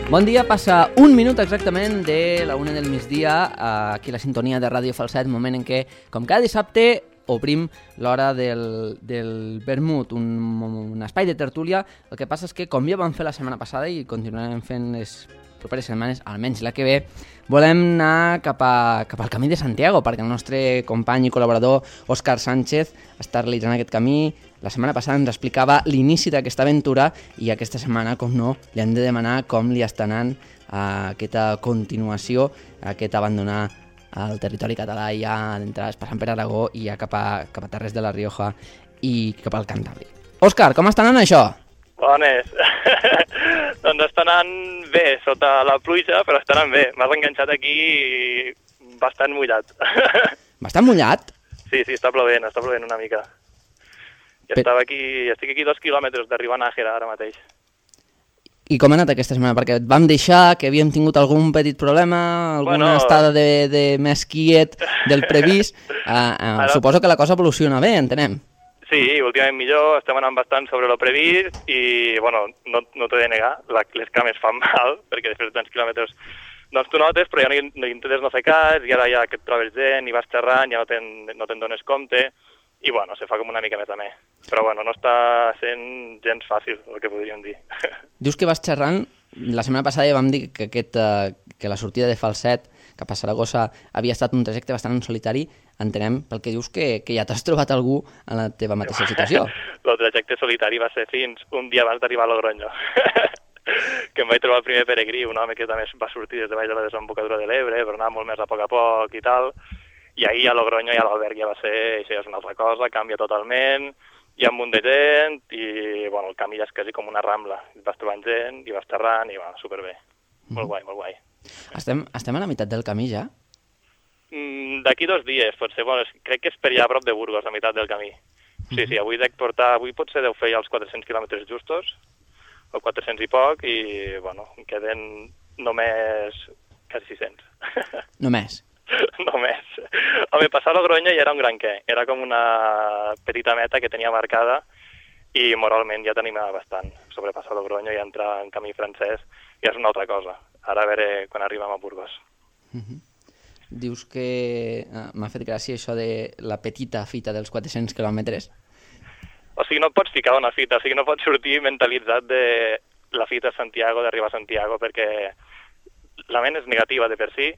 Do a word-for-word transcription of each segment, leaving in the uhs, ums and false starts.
Bon dia, passa un minut exactament de la una del migdia, aquí a la sintonia de Ràdio Falset, moment en què, com cada dissabte, obrim l'hora del, del vermut, un, un espai de tertúlia. El que passa és que, com ja vam fer la setmana passada i continuarem fent les properes setmanes, almenys la que ve, volem anar cap, a, cap al camí de Santiago, perquè el nostre company i col·laborador Òscar Sánchez està realitzant aquest camí. La setmana passada ens explicava l'inici d'aquesta aventura i aquesta setmana, com no, li hem de demanar com li està anant a aquesta continuació, a aquest abandonar el territori català ja d'entrada, passant per Aragó i ja cap a, cap a Terres de la Rioja i cap al Cantàbric. Òscar, com està anant això? Bones. Doncs està anant bé, sota la pluja, però està anant bé. M'has enganxat aquí bastant mullat. Bastant mullat? Sí, sí, està plovent, està plovent una mica. I per... estava aquí, estic aquí dos quilòmetres d'arribar a Nájera ara mateix. I com ha anat aquesta setmana? Perquè et vam deixar que havíem tingut algun petit problema, alguna bueno... estada de, de més quiet del previst. Uh, uh, ara... Suposo que la cosa evoluciona bé, entenem. Sí, últimament millor, estem anant bastant sobre lo previst i, bueno, no, no t'he de negar, la, les cames fan mal, perquè després de tants quilòmetres doncs tu notes, però ja no, no intentes no fer cas, i ara ja que et trobes gent i vas xerrant, ja no te'n no te'n dones compte, i bueno, se fa com una mica més a més. Però bueno, no està sent gens fàcil, el que podríem dir. Dius que vas xerrant, la setmana passada ja vam dir que, aquest, uh, que la sortida de Falset cap a Saragossa havia estat un trajecte bastant solitari. Entenem pel que dius que, que ja t'has trobat algú en la teva mateixa situació. El trajecte solitari va ser fins un dia abans d'arribar a Logronyo. Que em vaig trobar el primer peregrí, un home que també va sortir des de baix de la desembocadura de l'Ebre, però anava molt més a poc a poc i tal. I ahir a Logronyo i a l'alberg ja va ser, això ja és una altra cosa, canvia totalment, hi ha un munt de gent i bueno, el camí ja és quasi com una rambla. Vas trobant gent i vas xerrant i va, superbé. Mm. Molt guai, molt guai. Estem, estem a la meitat del camí ja? Mm, D'aquí dos dies, potser, bueno, crec que és per allà a prop de Burgos, a meitat del camí. Sí, sí, avui dec portar, avui potser deu fer ja els quatre-cents quilòmetres justos, o quatre-cents i poc, i bueno, em queden només quasi sis-cents. Només? Només. Home, passar a Logronyo ja era un gran què. Era com una petita meta que tenia marcada i moralment ja t'animava bastant. Sobrepassar Logronyo i entrar en camí francès ja és una altra cosa. Ara a veure quan arribem a Burgos. Uh-huh. Dius que uh, m'ha fet gràcia això de la petita fita dels quatre-cents quilòmetres. O sigui, no et pots ficar una fita, o sigui, no pots sortir mentalitzat de la fita a Santiago, d'arribar a Santiago, perquè la ment és negativa de per si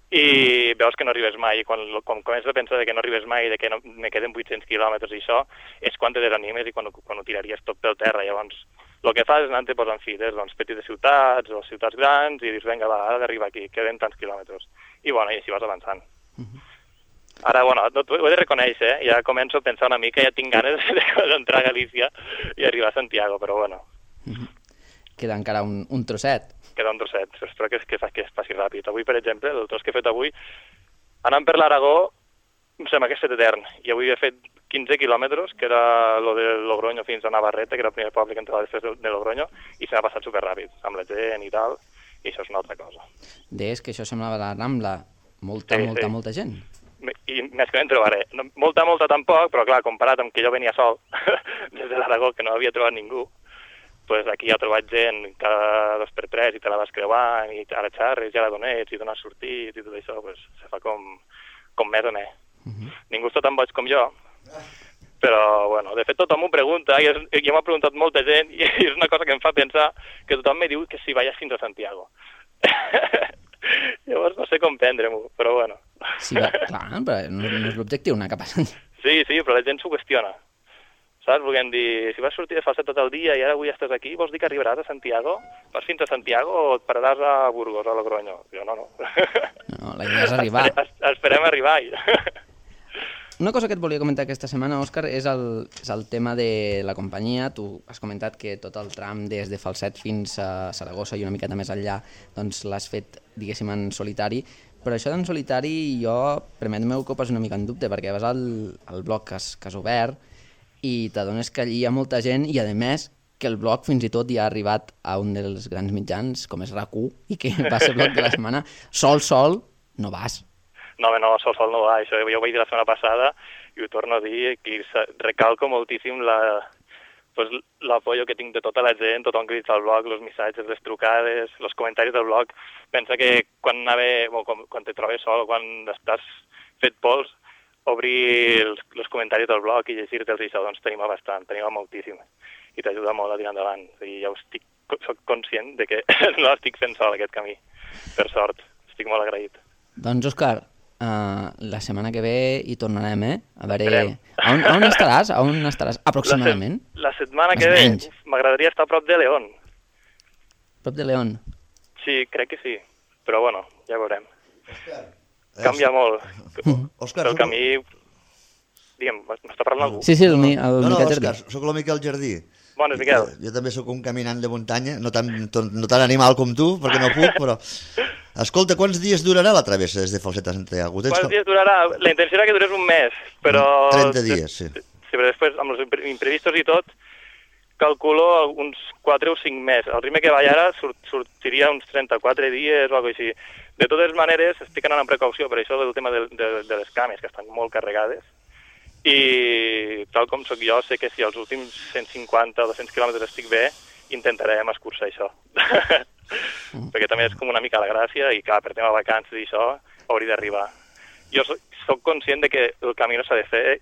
i veus que no arribes mai, i quan, quan comences a pensar que no arribes mai, de que no, me queden vuit-cents quilòmetres i això, és quan te desanimes i quan, quan ho tiraries tot pel terra. Llavors, el que fas és anar-te posant fites, doncs, petites ciutats o ciutats grans, i dius, vinga, va, ara d'arribar aquí, queden tants quilòmetres. I bueno, i així vas avançant. Uh-huh. Ara, bueno, ho he de reconèixer, eh? Ja començo a pensar una mica, ja tinc ganes d'entrar a Galícia i arribar a Santiago, però bueno. Uh-huh. Queda encara un, un trosset. Queda un trosset, però espero que, que, que es passi ràpid. Avui, per exemple, el tros que he fet avui, anant per l'Aragó, em sembla que és etern, i avui he fet quinze quilòmetres, que era lo de Logronyo fins a Navarrete, que era el primer poble que entrava després de Logronyo, i se m'ha passat superràpid, amb la gent i tal, i això és una altra cosa. Deies que això semblava la Rambla, molta, sí, molta, sí. molta gent. I més que no en trobaré. Molta, molta tampoc, però clar, comparat amb que jo venia sol des de l'Aragó, que no havia trobat ningú, pues aquí ha trobat gent cada dos per tres i te la vas creuant i ara xarres, ja la donets i dones sortit i tot això, pues se fa com, com més o més. Uh-huh. Ningú està tan boig com jo, però bueno, de fet tothom m'ho pregunta i jo m'ha preguntat molta gent i és una cosa que em fa pensar que tothom me diu que si vaig fins a Santiago. Llavors no sé com prendre-m'ho, però bueno. Sí, va, clar, però no, no és l'objectiu anar cap a Santiago. Sí, sí, però la gent s'ho qüestiona. Saps? Volguem dir, si vas sortir de Falset tot el dia i ara avui estàs aquí, vols dir que arribaràs a Santiago? Vas fins a Santiago o et pararàs a Burgos, a Logronyo? Jo no, no. No, la idea és arribar. Espere, esperem arribar. Una cosa que et volia comentar aquesta setmana, Òscar, és el, és el tema de la companyia. Tu has comentat que tot el tram des de Falset fins a Saragossa i una miqueta més enllà doncs l'has fet, diguéssim, en solitari. Però això d'en solitari jo, permet-me que ho posi una mica en dubte, perquè vas al, al blog que has, que has obert i t'adones que allí hi ha molta gent i, a més, que el blog fins i tot ja ha arribat a un dels grans mitjans, com és RAC u, i que va ser el blog de la setmana. Sol, sol, no vas. No, no, sol, sol no va. Això jo ho vaig dir la setmana passada i ho torno a dir, que recalco moltíssim la, pues, l'apoyo que tinc de tota la gent, tothom que dit al blog, els missatges, les trucades, els comentaris del blog. Pensa que quan, anava, o quan, quan te trobes sol, quan estàs fet pols, obrir els, els comentaris del blog i llegir-te'ls i això, doncs t'anima bastant, t'anima moltíssim i t'ajuda molt a tirar endavant. I ja estic, soc conscient de que no estic fent sol aquest camí, per sort. Estic molt agraït. Doncs, Òscar, uh, la setmana que ve hi tornarem, eh? A veure... A on, a on estaràs? A on estaràs aproximadament? La, se la setmana que ve m'agradaria estar a prop de León. Prop de León? Sí, crec que sí. Però, bueno, ja veurem. Òscar. Canvia molt. Òscar, el camí... Digue'm, m'està parlant algú? Sí, sí, el, el no, no, Miquel Òscar, Jardí. soc el Miquel Jardí. Bones, Miquel. Jo, jo també sóc un caminant de muntanya, no tan, no tan animal com tu, perquè no puc, però... Escolta, quants dies durarà la travessa des de Falset a Santiago? Quants com... dies durarà? La intenció era que durés un mes, però... trenta dies, sí. Sí, però després, amb els imprevistos i tot, calculo uns quatre o cinc mesos. El ritme que vaig ara surt, sortiria uns trenta-quatre dies o alguna cosa així. De totes maneres, estic anant amb precaució per això del tema de, de, de les cames, que estan molt carregades. I tal com sóc jo, sé que si els últims cent cinquanta o dos-cents quilòmetres estic bé, intentarem escurçar això. Mm. Perquè també és com una mica la gràcia i clar, per tema de vacances i això, hauria d'arribar. Jo soc, soc conscient de que el camí no s'ha de fer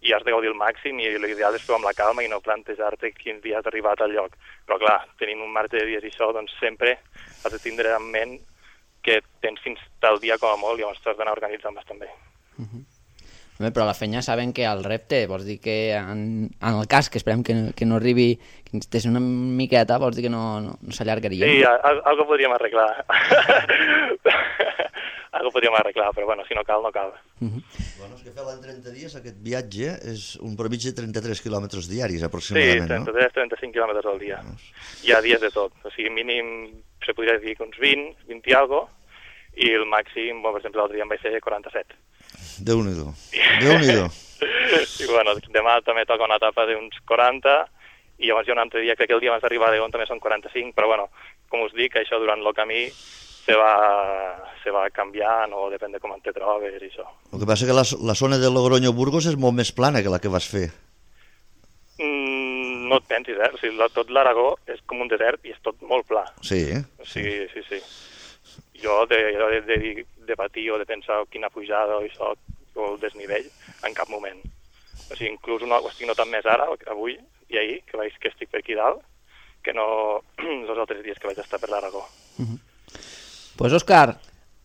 i has de gaudir al màxim i l'ideal és fer amb la calma i no plantejar-te quins dies has arribat al lloc. Però clar, tenint un marge de dies i això, doncs sempre has de tindre en ment que tens fins tal dia com a molt i llavors t'has d'anar organitzant bastant bé. Mm-hmm. Però la fenya saben que el repte, vols dir que en, en el cas que esperem que, que no arribi, que ens des una miqueta, vols dir que no, no, no s'allargaria? Sí, al, algo podríem arreglar. Algo podríem arreglar, però bueno, si no cal, no cal. Uh-huh. Bueno, és que fer l'any trenta dies, aquest viatge és un promig de trenta-tres quilòmetres diaris, aproximadament, sí, trenta-tres a trenta-cinc quilòmetres al dia. No. Hi ha dies de tot, o sigui, mínim, se podria dir que uns vint, vint i algo, i el màxim, bon, per exemple, l'altre dia em vaig fer quaranta-set. Déu-n'hi-do, Déu-n'hi-do. I bueno, demà també toca una etapa d'uns quaranta, i llavors hi ha un altre dia, crec que el dia abans d'arribar a León també són quaranta-cinc, però bueno, com us dic, això durant el camí se va, se va canviant, o depèn de com te trobes i això. El que passa que la, la zona de Logroño-Burgos és molt més plana que la que vas fer. Mm, no et pensis, eh? O sigui, tot l'Aragó és com un desert i és tot molt pla. Sí, eh? Sí, sí, sí. Jo de, de, de, de patir o de pensar quina pujada o això, o el desnivell, en cap moment. O sigui, inclús una, ho estic notant més ara, avui i ahir, que vaig que estic per aquí dalt, que no els altres dies que vaig estar per l'Aragó. Uh-huh. Pues Òscar,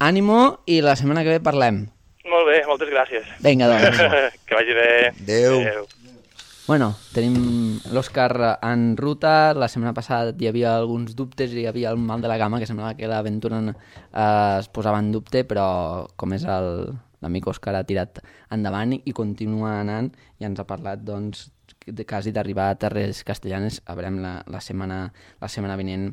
ànimo i la setmana que ve parlem. Molt bé, moltes gràcies. Vinga, doncs. Que vagi bé. Adéu. Adéu. Bueno, tenim l'Òscar en ruta. La setmana passada hi havia alguns dubtes, hi havia el mal de la gamma, que semblava que l'aventura eh, es posava en dubte, però com és el, l'amic Òscar ha tirat endavant i continua anant i ens ha parlat doncs, de quasi d'arribar a Terres Castellanes. A veurem la, la, setmana, la setmana vinent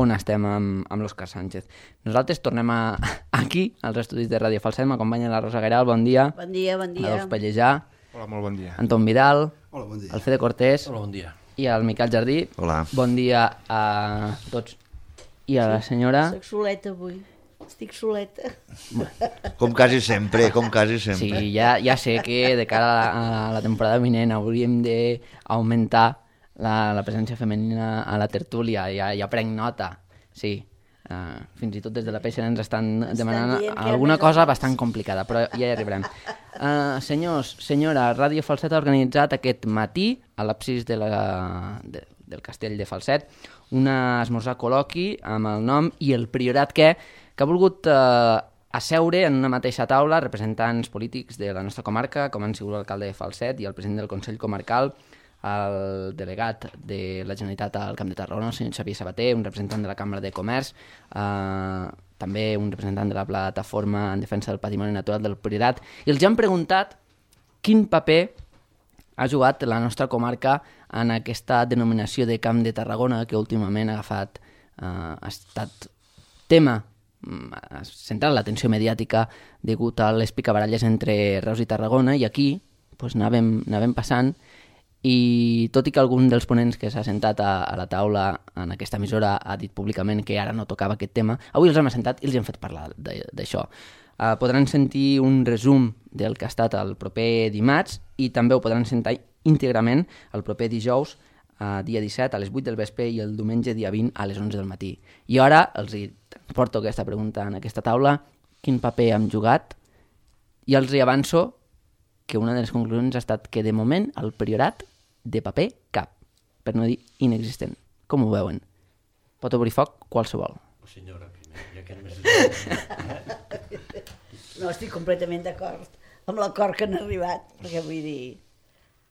on estem amb, amb l'Òscar Sánchez. Nosaltres tornem a, aquí, als estudis de Ràdio Falset. M'acompanya la Rosa Guerral, bon dia. Bon dia, bon dia. L'Adolf Pellejà. Hola, molt bon dia. Anton Vidal. Hola, bon dia. El Fede Cortés. Hola, bon dia. I el Miquel Jardí. Hola. Bon dia a tots. I a la senyora... Soc soleta avui. Estic soleta. Com quasi sempre, com quasi sempre. Sí, ja, ja sé que de cara a la, a la temporada vinent hauríem d'augmentar la, la presència femenina a la tertúlia. Ja, ja prenc nota. Sí. Uh, fins i tot des de la P S N ens estan demanant estan alguna cosa bastant complicada, però ja hi arribarem. Uh, senyors, senyora, Ràdio Falset ha organitzat aquest matí a l'absis de la, de, del castell de Falset un esmorzar col·loqui amb el nom I el Priorat què, que ha volgut uh, asseure en una mateixa taula representants polítics de la nostra comarca, com han sigut l'alcalde de Falset i el president del Consell Comarcal, el delegat de la Generalitat al Camp de Tarragona, el senyor Xavier Sabater, un representant de la Cambra de Comerç, eh, també un representant de la Plataforma en Defensa del Patrimoni Natural del Priorat, i els han preguntat quin paper ha jugat la nostra comarca en aquesta denominació de Camp de Tarragona que últimament ha agafat, eh, ha estat tema, ha centrat l'atenció mediàtica degut a les picabaralles entre Reus i Tarragona, i aquí pues, anàvem, anàvem passant. I tot i que algun dels ponents que s'ha sentat a, a la taula en aquesta emissora ha dit públicament que ara no tocava aquest tema, avui els hem assentat i els hem fet parlar d'això. Uh, podran sentir un resum del que ha estat el proper dimarts i també ho podran sentir íntegrament el proper dijous uh, dia disset a les vuit del vespre i el diumenge dia vint a les onze del matí. I ara els hi porto aquesta pregunta en aquesta taula, quin paper hem jugat, i els hi avanço que una de les conclusions ha estat que de moment el priorat de paper cap, per no dir inexistent. Com ho veuen? Pot obrir foc qualsevol. Senyora, primer, ja que només... No, estic completament d'acord amb l'acord que han arribat, perquè vull dir,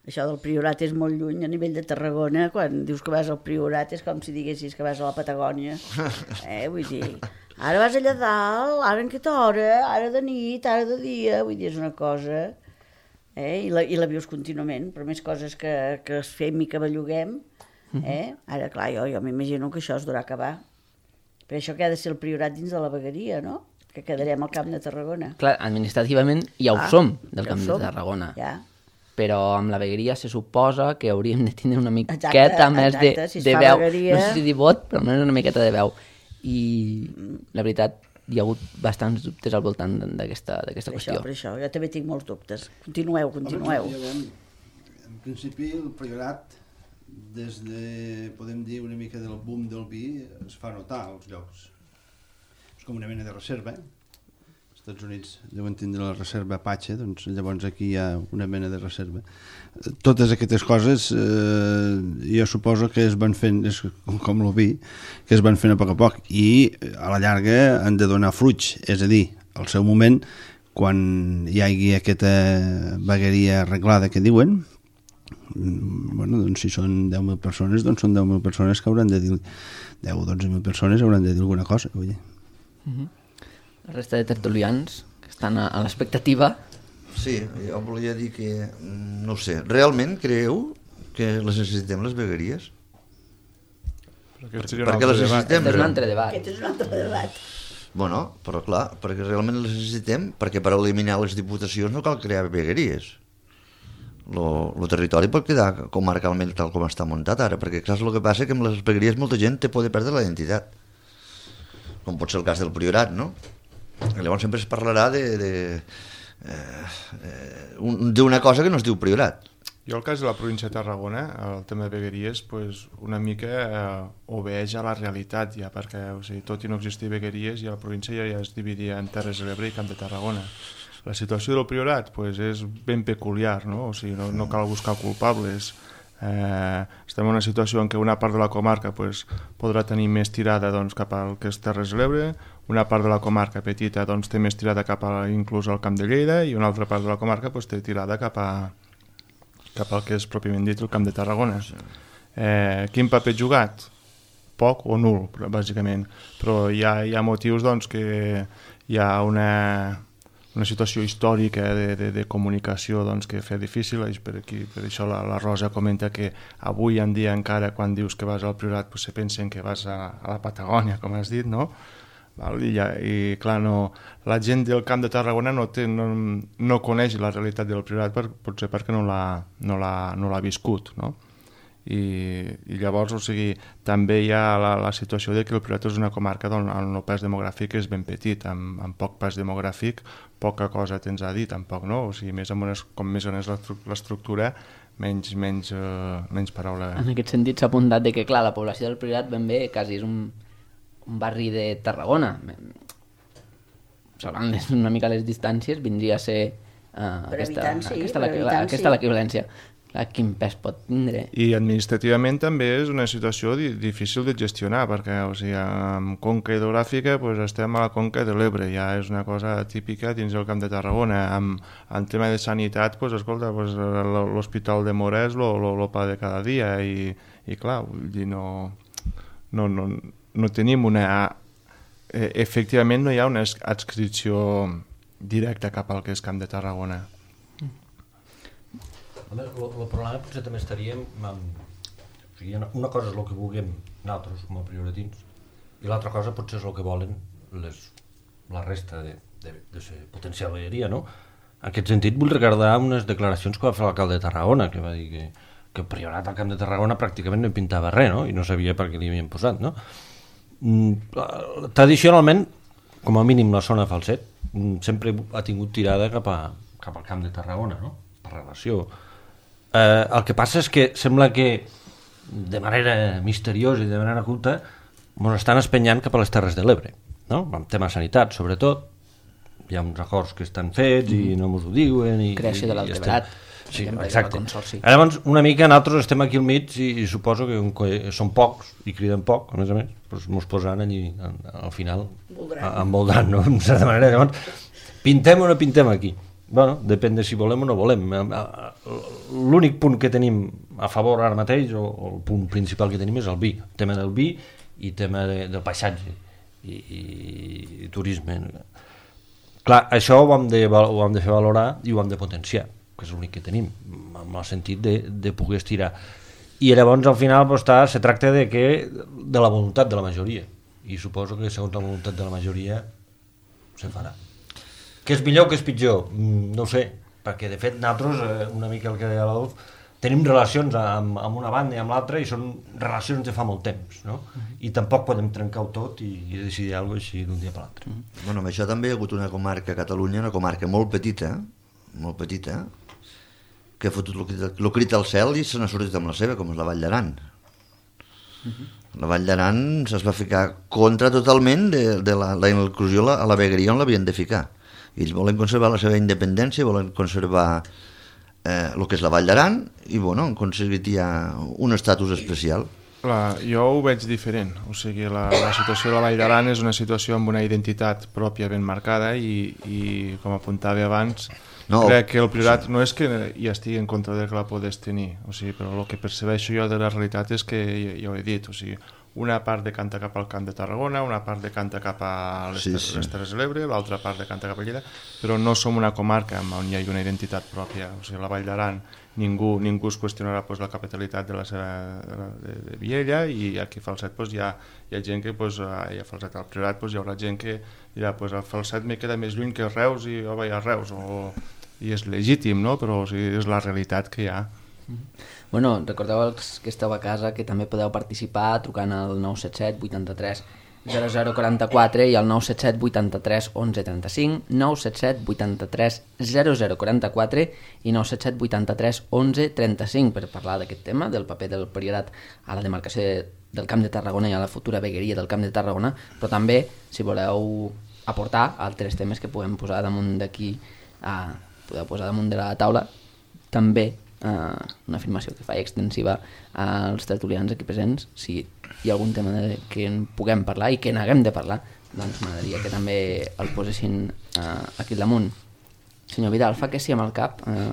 això del Priorat és molt lluny a nivell de Tarragona, quan dius que vas al Priorat és com si diguessis que vas a la Patagònia, eh, vull dir, ara vas allà dalt, ara en aquesta hora, ara de nit, ara de dia, vull dir, és una cosa, eh, i la, i la vius contínuament, per més coses que, que es fem i que belluguem, eh, ara clar, jo, jo m'imagino que això es durà acabar, per això que ha de ser el Priorat dins de la vegueria, no?, que quedarem al Camp de Tarragona. Clar, administrativament ja ho ah, som, del ja Camp som, de Tarragona. Ja. Però amb la vegueria se suposa que hauríem de tindre una miqueta exacte, més exacte, de, si de veu. Vegueria... No sé si dir vot, però almenys una miqueta de veu. I la veritat, hi ha hagut bastants dubtes al voltant d'aquesta per qüestió. Això, per això, jo també tinc molts dubtes. Continueu, continueu. Home, en principi, el Priorat, des de, podem dir, una mica del boom del vi, es fa notar als llocs. És com una mena de reserva. Als Estats Units deuen tindre la reserva Apache, doncs llavors aquí hi ha una mena de reserva. Totes aquestes coses eh, jo suposo que es van fent, és com el vi, que es van fent a poc a poc i a la llarga han de donar fruits, és a dir, al seu moment, quan hi hagi aquesta vegueria arreglada que diuen, bueno, doncs si són deu mil persones, doncs són deu mil persones que hauran de dir, deu o dotze mil persones hauran de dir alguna cosa, vull dir. Uh-huh. La resta de tertulians que estan a, a l'expectativa. Sí, jo volia dir que, no ho sé, realment creu que les necessitem les vegueries? Perquè, perquè les necessitem. Aquest és un altre debat. Aquest és un altre debat. Bueno, però clar, perquè realment les necessitem, perquè per eliminar les diputacions no cal crear vegueries. El territori pot quedar comarcalment tal com està muntat ara, perquè saps el que passa? Que amb les vegueries molta gent té por de perdre la identitat, com pot ser el cas del Priorat, no? I llavors sempre es parlarà de, de, eh, d'una cosa que no es diu Priorat. Jo el cas de la província de Tarragona, el tema de vegueries, pues, una mica eh, obeeix a la realitat ja, perquè o sigui, tot i no existir vegueries, ja la província ja, ja es dividia en Terres de l'Ebre i Camp de Tarragona. La situació del Priorat pues, és ben peculiar, no? O sigui, no, no cal buscar culpables. Eh, estem en una situació en què una part de la comarca pues, podrà tenir més tirada doncs, cap al que és Terres de l'Ebre, una part de la comarca petita doncs, té més tirada cap a, inclús al Camp de Lleida, i una altra part de la comarca pues, té tirada cap, a, cap al que és pròpiament dit el Camp de Tarragona. Eh, quin paper jugat? Poc o nul, bàsicament, però hi ha, hi ha motius doncs, que hi ha una... una situació històrica de, de, de comunicació doncs, que fa difícil, per, aquí, per això la, la Rosa comenta que avui en dia encara quan dius que vas al Priorat pues, se pensen que vas a, a la Patagònia, com has dit, no? Val? I, ja, i clar, no, la gent del Camp de Tarragona no, té, no, no coneix la realitat del Priorat, per, potser perquè no l'ha no no l'ha viscut, no? I, i llavors, o sigui, també hi ha la, la situació de que el Priorat és una comarca on el no pes demogràfic és ben petit, amb, amb poc pes demogràfic, poca cosa tens a dir, tampoc, no? O sigui, més amb unes, com més on és l'estructura, menys, menys, uh, menys paraula. En aquest sentit s'ha apuntat de que, clar, la població del Priorat ben bé quasi és un, un barri de Tarragona. Salvant una mica les distàncies, vindria a ser uh, aquesta, sí, aquesta, aquesta, aquesta l'equivalència. Clar, quin pes pot tindre. I administrativament també és una situació di difícil de gestionar, perquè o sigui, amb conca hidrogràfica pues, estem a la conca de l'Ebre, ja és una cosa típica dins el Camp de Tarragona. Amb, en tema de sanitat, pues, escolta, pues, l'Hospital de Mora és el pa de cada dia, i, i clar, vull dir, no, no, no, no tenim una... Eh, efectivament no hi ha una adscripció directa cap al que és Camp de Tarragona. El, el problema potser també estaríem amb, o sigui, una cosa és el que vulguem nosaltres com a prioratins i l'altra cosa potser és el que volen les, la resta de, de, de ser potencial vegueria, no? En aquest sentit vull recordar unes declaracions que va fer l'alcalde de Tarragona, que va dir que, que el Priorat al Camp de Tarragona pràcticament no hi pintava res, no? I no sabia per què li havien posat, no? Mm, tradicionalment, com a mínim la zona Falset, sempre ha tingut tirada cap, a, cap al Camp de Tarragona, no? Per relació. Eh, el que passa és que sembla que de manera misteriosa i de manera oculta, ens estan espenyant cap a les Terres de l'Ebre, no? En tema sanitat, sobretot. Hi ha uns acords que estan fets i no ens ho diuen. I, creació de l'Alteberat. Sí, exacte. Llavors, una mica nosaltres estem aquí al mig i, i suposo que, que són pocs i criden poc, a més a més, doncs ens posaran allí al, al final envoltant, no? En certa manera. Llavors, pintem o no pintem aquí? Bueno, depèn de si volem o no volem. L'únic punt que tenim a favor ara mateix, o, o el punt principal que tenim és el vi, el tema del vi i el tema de, del paisatge i, i, i turisme. Clar, això ho hem, de, ho hem de fer valorar i ho hem de potenciar, que és l'únic que tenim, en el sentit de, de poder estirar. I llavors al final pues, està, se tracta de, que, de la voluntat de la majoria, i suposo que segons la voluntat de la majoria se farà. Que és millor o que és pitjor? No ho sé, perquè de fet nosaltres, una mica el que deia l'Adolf, tenim relacions amb, amb una banda i amb l'altra i són relacions de fa molt temps, no? I tampoc podem trencar-ho tot i, i decidir alguna cosa així d'un dia per l'altre. Bueno, amb això també hi ha hagut una comarca a Catalunya, una comarca molt petita, molt petita, que ha fotut el crit al cel i se n'ha sortit amb la seva, com és la Vall d'Aran. La Vall d'Aran es va ficar contra totalment de, de la, la inclusió a la vegueria on l'havien de ficar. Ells volen conservar la seva independència, volen conservar eh, el que és la Vall d'Aran i bueno, han aconseguit ja un estatus especial. Clar, jo ho veig diferent, o sigui, la, la situació de la Vall d'Aran és una situació amb una identitat pròpia ben marcada i, i com apuntava abans, no, crec que el Priorat sí. No és que hi estigui en contra de que la podés tenir, o sigui, però el que percebeixo jo de la realitat és que, ja ho he dit, o sigui, una part decanta cap al Camp de Tarragona, una part decanta cap a les, sí, sí. les Terres de l'Ebre, l'altra part decanta cap a Lleida, però no som una comarca on hi ha una identitat pròpia, o sigui, la Vall d'Aran ningú, ningú es qüestionarà pues, la capitalitat de la seva de, de Viella i aquí a Falset pues, hi, ha, hi ha gent que pues, hi ha Falset al Priorat pues, hi haurà gent que dirà pues, el Falset me queda més lluny que Reus i jo vaig a Reus o, i és legítim, no? Però o sigui, és la realitat que hi ha. Bueno, recordeu els que esteu a casa que també podeu participar trucant al nou set set vuitanta-tres zero zero quaranta-quatre i al nou set set vuitanta-tres onze trenta-cinc, nou set set vuitanta-tres zero zero quaranta-quatre i nou set set vuitanta-tres onze trenta-cinc per parlar d'aquest tema, del paper del Priorat a la demarcació del Camp de Tarragona i a la futura vegueria del Camp de Tarragona, però també, si voleu aportar altres temes que podem posar damunt d'aquí, a, podeu posar damunt de la taula, també Uh, una afirmació que faig extensiva als tertulians aquí presents, si hi ha algun tema de que en puguem parlar i que n'haguem de parlar, doncs m'agradaria que també el posessin uh, aquí al damunt. Senyor Vidal, fa que sí amb el cap. Uh...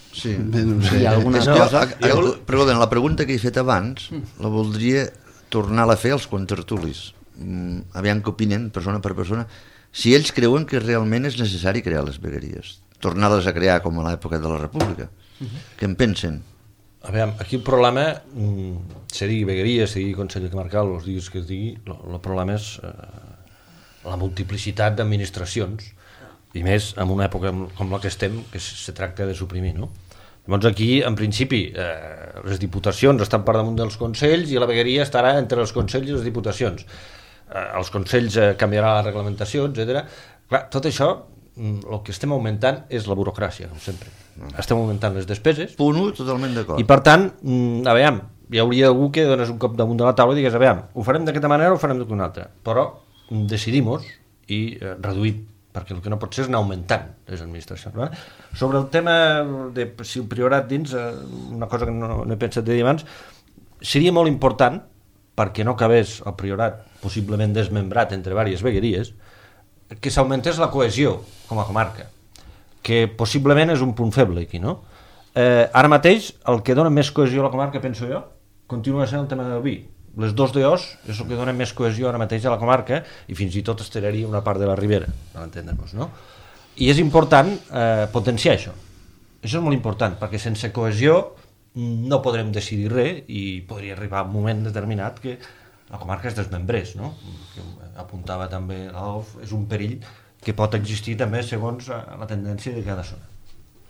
Sí, bé, no sé. Hi ha alguna no, cosa? Jo, perdó, la pregunta que he fet abans la voldria tornar-la a fer als contertulis. Mm, aviam què opinen, persona per persona, si ells creuen que realment és necessari crear les vegueries, tornar-les a crear com a l'època de la República. Uh-huh. Què en pensen? A veure, aquí el problema, se digui vegueria, se digui Consell Comarcal, els diguis que es digui, el problema és eh, la multiplicitat d'administracions, i més en una època com la que estem, que se tracta de suprimir, no? Llavors aquí, en principi, eh, les diputacions estan per damunt dels consells i la vegueria estarà entre els consells i les diputacions. Eh, els consells eh, canviarà la reglamentació, etcètera. Clar, tot això el que estem augmentant és la burocràcia, com sempre. Estem augmentant les despeses. Punt u, totalment d'acord. I per tant, a veure, hi hauria algú que dones un cop damunt de la taula i digués, a veure, ho farem d'aquesta manera o ho farem d'una altra. Però decidim-nos i eh, reduïm, perquè el que no pot ser és anar augmentant les administracions. No? Sobre el tema de si el Priorat dins, eh, una cosa que no, no he pensat de dir abans, seria molt important, perquè no cabés el Priorat possiblement desmembrat entre diverses vegueries, que s'augmentés la cohesió com a comarca, que possiblement és un punt feble aquí, no? Eh, ara mateix, el que dona més cohesió a la comarca, penso jo, continua sent el tema del vi. Les dos D Os és el que dona més cohesió ara mateix a la comarca i fins i tot estiraria una part de la Ribera, per entendre-nos, no? I és important eh, potenciar això. Això és molt important, perquè sense cohesió no podrem decidir res i podria arribar un moment determinat que la comarca es desmembrés, no? Que apuntava també l'Adolf, és un perill que pot existir també segons la tendència de cada zona.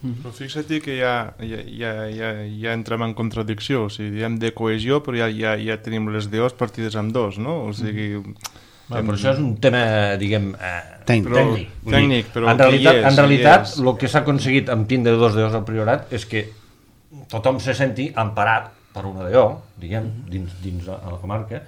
Però fixa't que ja, ja, ja, ja, ja entrem en contradicció, o sigui, diem de cohesió, però ja, ja, ja tenim les D Os partides amb dos, no? O sigui... Bueno, però això és un tema, diguem, eh, tècnic. Però, tècnic. tècnic, però en realitat, és, en realitat és. el que s'ha aconseguit amb tindre dos D Os al Priorat és que tothom se senti emparat per una D O, diguem, dins, dins a la comarca,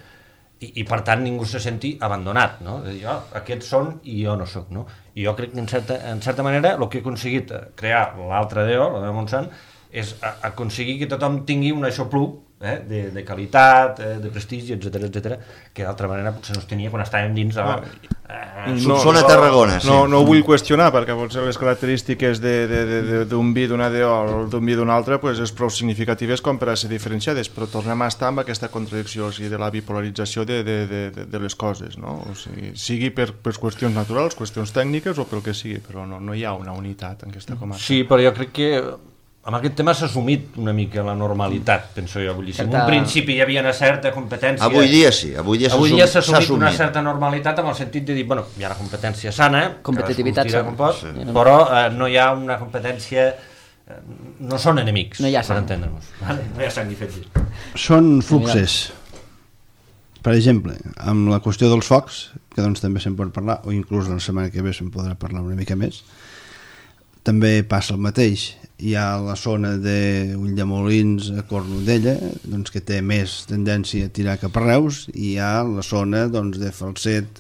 i, i per tant ningú se senti abandonat, no? De dir, oh, aquests són i jo no sóc, no? I jo crec que en certa, en certa manera el que he aconseguit crear l'altra D O, la de Montsant, és a, aconseguir que tothom tingui un aixopluc eh, de, de qualitat, eh, de prestigi, etcètera, etcètera, que d'altra manera potser no es tenia quan estàvem dins de la... Eh, no, són a Tarragona, sí. No, no ho vull qüestionar, perquè potser les característiques d'un vi d'una D O o d'un vi d'una altra pues, és prou significatives com per a ser diferenciades, però tornem a estar amb aquesta contradicció, o sigui, de la bipolarització de, de, de, de les coses, no? O sigui, sigui per, per qüestions naturals, qüestions tècniques o pel que sigui, però no, no hi ha una unitat en aquesta comarca. Sí, però jo crec que amb aquest tema s'ha assumit una mica la normalitat, penso jo. Vull dir, si en un principi hi havia una certa competència... Avui dia sí, avui dia s'ha avui dia s'ha assumit, assumit una certa normalitat amb el sentit de dir, bueno, hi ha una competència sana, competitivitat sana, com pot, sí. Però eh, no hi ha una competència... Eh, no són enemics, no hi ha per entendre-nos. Vale? No hi ha sang ni fet. Són fluxes. Per exemple, amb la qüestió dels focs, que doncs també se'n pot parlar, o inclús la setmana que ve se'n podrà parlar una mica més, també passa el mateix. Hi ha la zona d'Ulldemolins a Cornudella, doncs, que té més tendència a tirar cap a Reus, i hi ha la zona doncs, de Falset,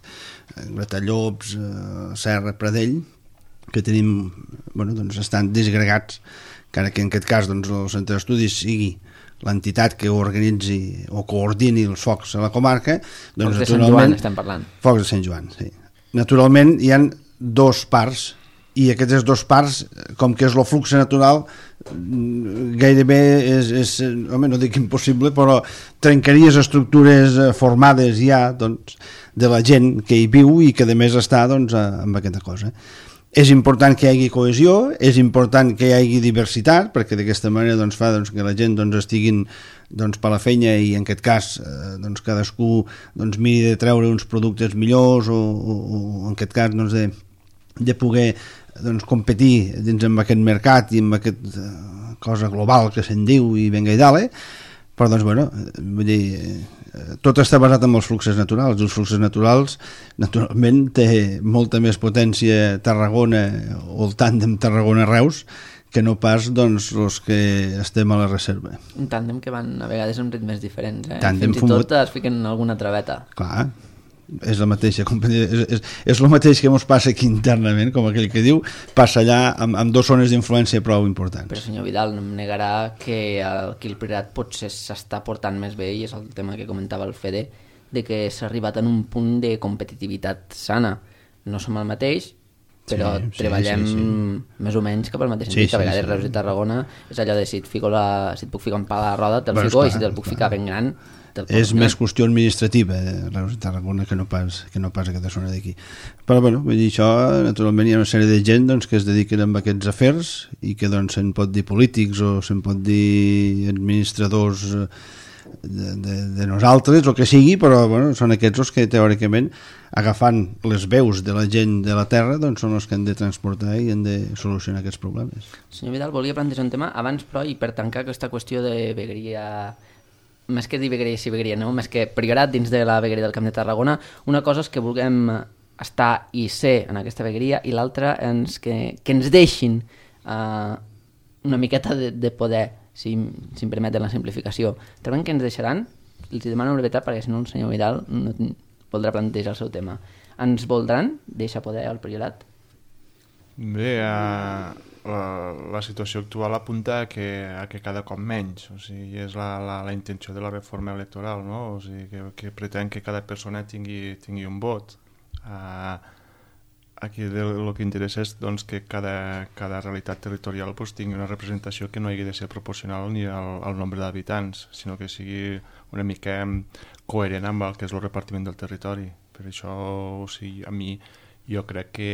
Gratallops, Serra, Pradell, que tenim, bueno, doncs, estan disgregats, encara que en aquest cas doncs, el centre d'estudis sigui l'entitat que organitzi o coordini els focs a la comarca. Doncs, focs de Sant Joan estem parlant. Focs de Sant Joan, sí. Naturalment hi ha dos parts, i aquestes dos parts, com que és el flux natural, gairebé és, és home, no dic impossible, però trencaries estructures formades ja doncs, de la gent que hi viu i que a més està doncs, amb aquesta cosa. És important que hi hagi cohesió, és important que hi hagi diversitat, perquè d'aquesta manera doncs, fa doncs, que la gent doncs, estiguin doncs, per la feina i en aquest cas eh, doncs, cadascú doncs, miri de treure uns productes millors o, o, o en aquest cas doncs, de, de poder doncs, competir dins amb aquest mercat i amb aquesta uh, cosa global que se'n diu i venga i dale, però doncs bueno, vull dir, eh, tot està basat en els fluxos naturals. Els fluxos naturals naturalment té molta més potència Tarragona o el tàndem Tarragona-Reus que no pas doncs els que estem a la reserva. Un tàndem que van a vegades amb ritmes diferents, eh? Tàndem Fins i fumut. tot es fiquen alguna traveta. Clar, és la mateixa és, és, és el mateix que ens passa aquí internament, com aquell que diu, passa allà amb, amb dues zones d'influència prou importants. Però senyor Vidal, no em negarà que aquí el Priorat potser s'està portant més bé, i és el tema que comentava el Fede, de que s'ha arribat en un punt de competitivitat sana. No som el mateix, però sí, treballem sí, sí, sí. més o menys cap al mateix sentit. Sí, sí, a vegades sí, Reus i Tarragona és allò de si et, fico la, si et puc ficar un pal a la roda, te'l bueno, fico, clar, i si te'l puc clar. ficar ben gran, és més qüestió administrativa eh, Reus i Tarragona que no pas, que no pas aquesta zona d'aquí, però bueno, vull dir això, naturalment hi ha una sèrie de gent doncs, que es dediquen a aquests afers i que doncs se'n pot dir polítics o se'n pot dir administradors de, de, de nosaltres, el que sigui, però bueno, són aquests els que teòricament agafant les veus de la gent de la terra doncs són els que han de transportar i han de solucionar aquests problemes. Senyor Vidal, volia plantejar un tema abans, però, i per tancar aquesta qüestió de vegueria, més que dir vegueria i vegueria, no? Més que Priorat dins de la vegueria del Camp de Tarragona, una cosa és que vulguem estar i ser en aquesta vegueria i l'altra és que, que ens deixin uh, una miqueta de, de poder, si, si em permeten la simplificació. Creuen que ens deixaran? Els demano una brevetat perquè si no el senyor Vidal no voldrà plantejar el seu tema. Ens voldran deixar poder al Priorat? Bé, uh, la, la situació actual apunta a que, a que cada cop menys, o sigui, és la, la, la intenció de la reforma electoral, no? O sigui, que, que pretén que cada persona tingui, tingui un vot. Uh, aquí el que interessa és doncs, que cada, cada realitat territorial pues, tingui una representació que no hagi de ser proporcional ni al, al nombre d'habitants, sinó que sigui una mica coherent amb el que és el repartiment del territori. Per això, o sigui, a mi jo crec que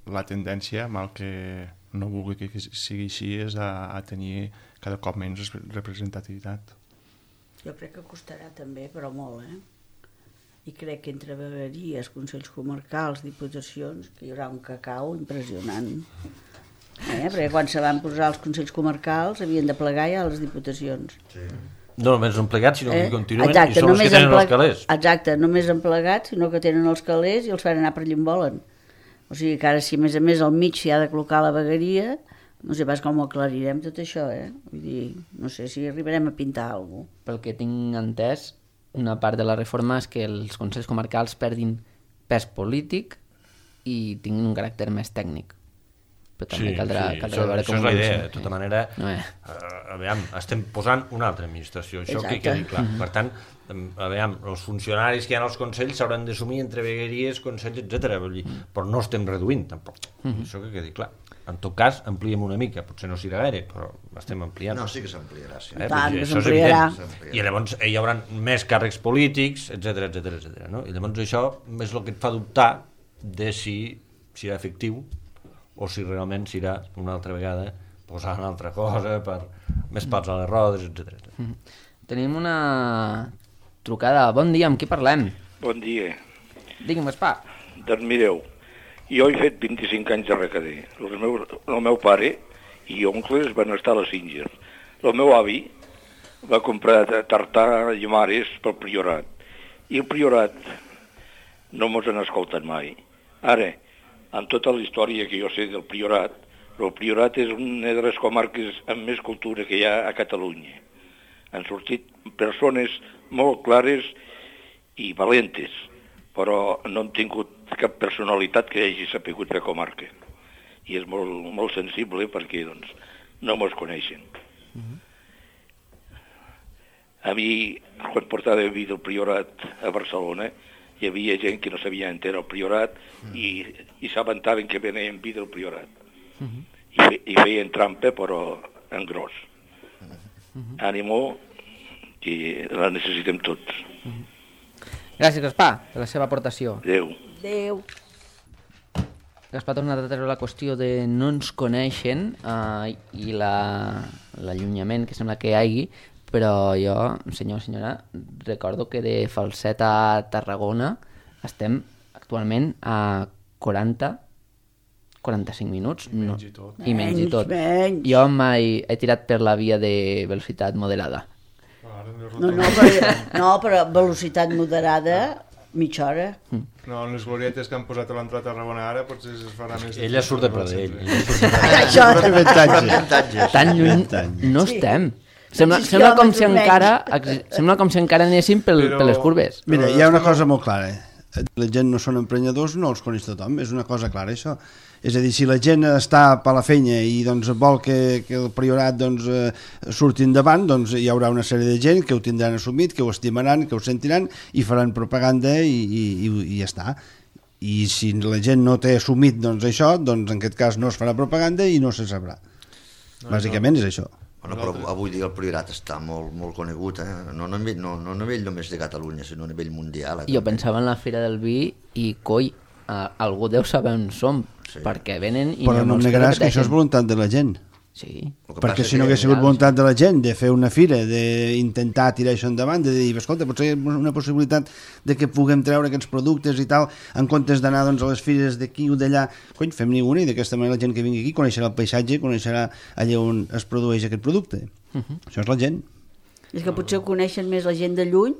la tendència, mal que no vulgui que sigui així, és a, a tenir cada cop menys representativitat. Jo crec que costarà també, però molt, eh? I crec que entre vegueries, consells comarcals, diputacions, que hi haurà un cacau impressionant. Eh? Perquè quan se van posar els consells comarcals havien de plegar ja a les diputacions. Sí. No només han plegat, sinó eh? que continuen Exacte, i són els que tenen els calés. Exacte, només han plegat, sinó que tenen els calés i els fan anar per allà on volen. O sigui que ara si a més a més al mig s'hi ha de col·locar la vegueria, No sé pas com ho aclarirem tot això, eh? Vull dir, no sé si arribarem a pintar alguna cosa. Pel que tinc entès, una part de la reforma és que els consells comarcals perdin pes polític i tinguin un caràcter més tècnic. Però també Sí, caldrà, sí, caldrà això, veure això com és la ho idea. usen. De tota manera, No, eh? eh, aviam, estem posant una altra administració, això que Exacte. quedi clar. Per tant, em, aviam, els funcionaris que hi ha als consells s'hauran d'assumir entre vegueries, consells, etcètera. Vull dir, però no estem reduint, tampoc. Això que quedi clar. En tot cas, ampliem una mica, potser no serà gaire, però estem ampliant. No, sí que s'ampliarà, sí. Eh? Tant, Vull dir, que això és s'ampliarà. evident. I llavors eh, hi haurà més càrrecs polítics, etcètera, etcètera, etcètera, no? I llavors això és el que et fa dubtar de si serà efectiu o si realment serà una altra vegada posar una altra cosa per més pals a les rodes, etcètera. Mm. Tenim una trucada. Bon dia, amb qui parlem? Bon dia. Digui'm, Gaspar. Doncs mireu, jo he fet vint-i-cinc anys de recader. El meu, el meu pare i oncles van estar a la Singer. El meu avi va comprar tartar i mares pel Priorat. I el Priorat no mos han escoltat mai. Ara, en tota la història que jo sé del Priorat, el Priorat és una de les comarques amb més cultura que hi ha a Catalunya. Han sortit persones molt clares i valentes, però no han tingut cap personalitat que hagi sapigut fer comarca. I és molt, molt sensible perquè doncs, no mos coneixen. Mm-hmm. A mi, quan portava vi del Priorat a Barcelona, hi havia gent que no sabia enterar el Priorat i, i s'aventaven que venien vi del Priorat. Mm-hmm. I, fe, I feien trampa, però en gros. Mm-hmm. Ànimo, que la necessitem tots. Gràcies, Gaspar, per la seva aportació. Adéu. Adéu. Gaspar ha tornat a treure la qüestió de no ens coneixen eh, i la- l'allunyament que sembla que hi hagi, però jo, senyor o senyora, recordo que de Falset a Tarragona estem actualment a quaranta quaranta-cinc minuts. I menys i tot. I menys i Menys, tot. menys. Jo mai he tirat per la via de velocitat moderada. Ara no és No, no, rotonda. però, no, però velocitat moderada, mitja hora. No, en les glorietes que han posat a l'entrada a Tarragona ara potser es farà més... Ella surt de Pradell. Sí. Ella surt de Això, Avantatges. Tan lluny anys. no Sí. estem. Sembla, Sis sembla, com si quilòmetres encara, menys. ex- sembla com si encara anéssim pel, Però- per les curves. Mira, hi ha una cosa molt clara. La gent no són emprenyadors, no els coneix tothom. És una cosa clara, això. És a dir, si la gent està per la feina i doncs, vol que, que el Priorat doncs, eh, surti endavant, doncs hi haurà una sèrie de gent que ho tindran assumit, que ho estimaran, que ho sentiran i faran propaganda i, i, i, i ja està. I si la gent no té assumit doncs, això, doncs en aquest cas no es farà propaganda i no se sabrà. Bàsicament és això. Bueno, però avui dia el Priorat està molt, molt conegut, eh? no, no, a nivell, no, no a nivell només de Catalunya, sinó a nivell mundial. Eh? Jo pensava en la Fira del Vi i, coi, a, algú deu saber on som, Sí. perquè venen i Però n'hi ha no em molts negaràs que això és repeteixen. voluntat de la gent. Sí. El que Perquè passa si no que- hagués sigut voluntat de la gent de fer una fira, d'intentar tirar això endavant, de dir, escolta, potser hi ha una possibilitat de que puguem treure aquests productes i tal, en comptes d'anar doncs, a les fires d'aquí o d'allà, cony, fem-n'hi una i d'aquesta manera la gent que vingui aquí coneixerà el paisatge, coneixerà allà on es produeix aquest producte. Això és la gent. És que potser ho coneixen més la gent de lluny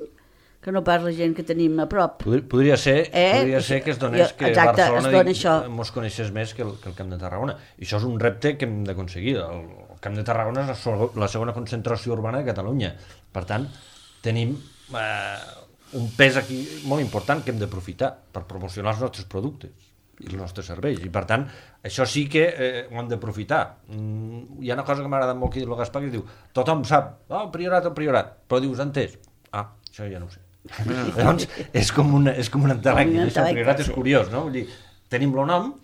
que no pas la gent que tenim a prop. Podria, podria ser, Eh? podria ser que es donés Jo- que exacte, Barcelona es dona això. mos coneixés més que el, que el Camp de Tarragona. I això és un repte que hem d'aconseguir. El, el Camp de Tarragona és la, so- la segona concentració urbana de Catalunya. Per tant, tenim eh, un pes aquí molt important que hem d'aprofitar per promocionar els nostres productes i els nostres serveis. I per tant, això sí que eh, ho hem d'aprofitar. Mm, hi ha una cosa que m'agrada molt que diu el Gaspar, que es diu, tothom sap, oh, el priorat, el priorat, però dius, entès? Ah, això ja no ho sé. Llavors, és com, una, és com un entelècnic, Com un això, el priorat és entelècnic, sí. curiós, no? Vull dir, tenim el nom,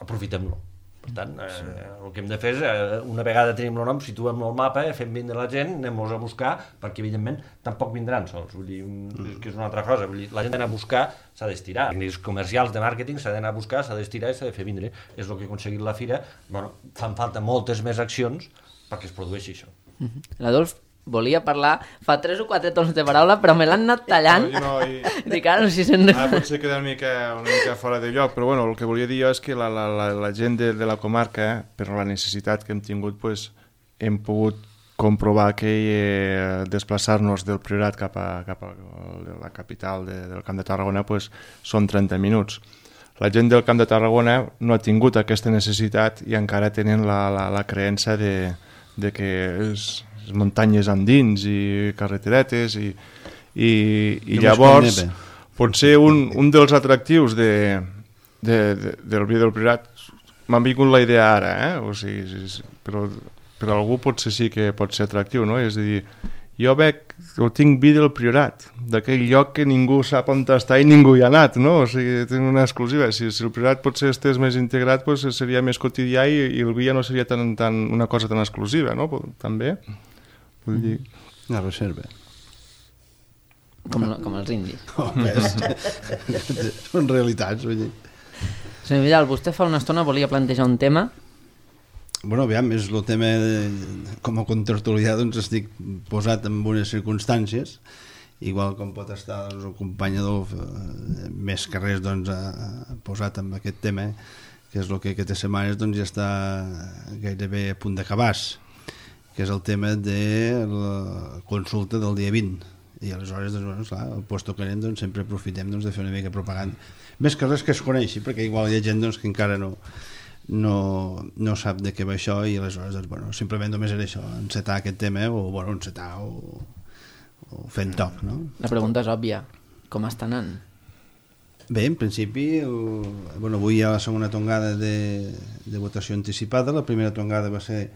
aprofitem-lo. Per tant, eh, el que hem de fer és, eh, una vegada tenim el nom, situem-lo al mapa, eh, fem vindre la gent, anem-los a buscar, perquè evidentment tampoc vindran sols, vull dir, mm. que és una altra cosa, vull dir, la gent d'anar a buscar s'ha d'estirar, els comercials de màrqueting s'ha d'anar a buscar, s'ha d'estirar i s'ha de fer vindre, és el que ha aconseguit la fira, bueno, fan falta moltes més accions perquè es produeixi això. L'Adolf volia parlar, fa tres o quatre tons de paraula, però me l'han anat tallant. No, no, i... Dic, ara no sé si se'n... Ara potser queda una mica, una mica fora de lloc, però bueno, el que volia dir jo és que la, la, la, la gent de, de la comarca, eh, per la necessitat que hem tingut, pues, hem pogut comprovar que eh, desplaçar-nos del Priorat cap a, cap a la capital de, del Camp de Tarragona pues, són trenta minuts. la gent del Camp de Tarragona no ha tingut aquesta necessitat i encara tenen la, la, la creença de, de que és, és muntanyes endins i carreteretes i, i, i llavors potser un, un dels atractius de, de, de, del vi del Priorat m'ha vingut la idea ara, eh? O sigui, però per algú potser sí que pot ser atractiu, no? És a dir, jo veig, o tinc vi del Priorat, d'aquell lloc que ningú sap on està i ningú hi ha anat, no? O sigui, tinc una exclusiva. Si, si el Priorat potser estés més integrat, pues, seria més quotidià i, i el vi ja no seria tan, tan, una cosa tan exclusiva, no? També. Vull dir... Una reserva. Com, com els indis. Oh, són realitats, vull dir. Senyor Vidal, vostè fa una estona volia plantejar un tema. Bueno, aviam, és el tema de, com a contertulià doncs estic posat en unes circumstàncies, igual com pot estar doncs, el company Adolf eh, més que res doncs, ha posat en aquest tema, que és el que aquestes setmanes doncs, ja està gairebé a punt d'acabar-se, que és el tema de la consulta del dia vint. I aleshores, doncs, bueno, clar, el puesto que anem doncs, sempre aprofitem doncs, de fer una mica de propaganda. Més que res que es coneixi, perquè igual hi ha gent doncs, que encara no... No, no sap de què va això i aleshores doncs, bueno, simplement només era això, encetar aquest tema o, bueno, encetar o, o fent toc, no? La pregunta és òbvia, com està anant? Bé, en principi el, bueno, avui hi ha la segona tongada de, de votació anticipada. La primera tongada va ser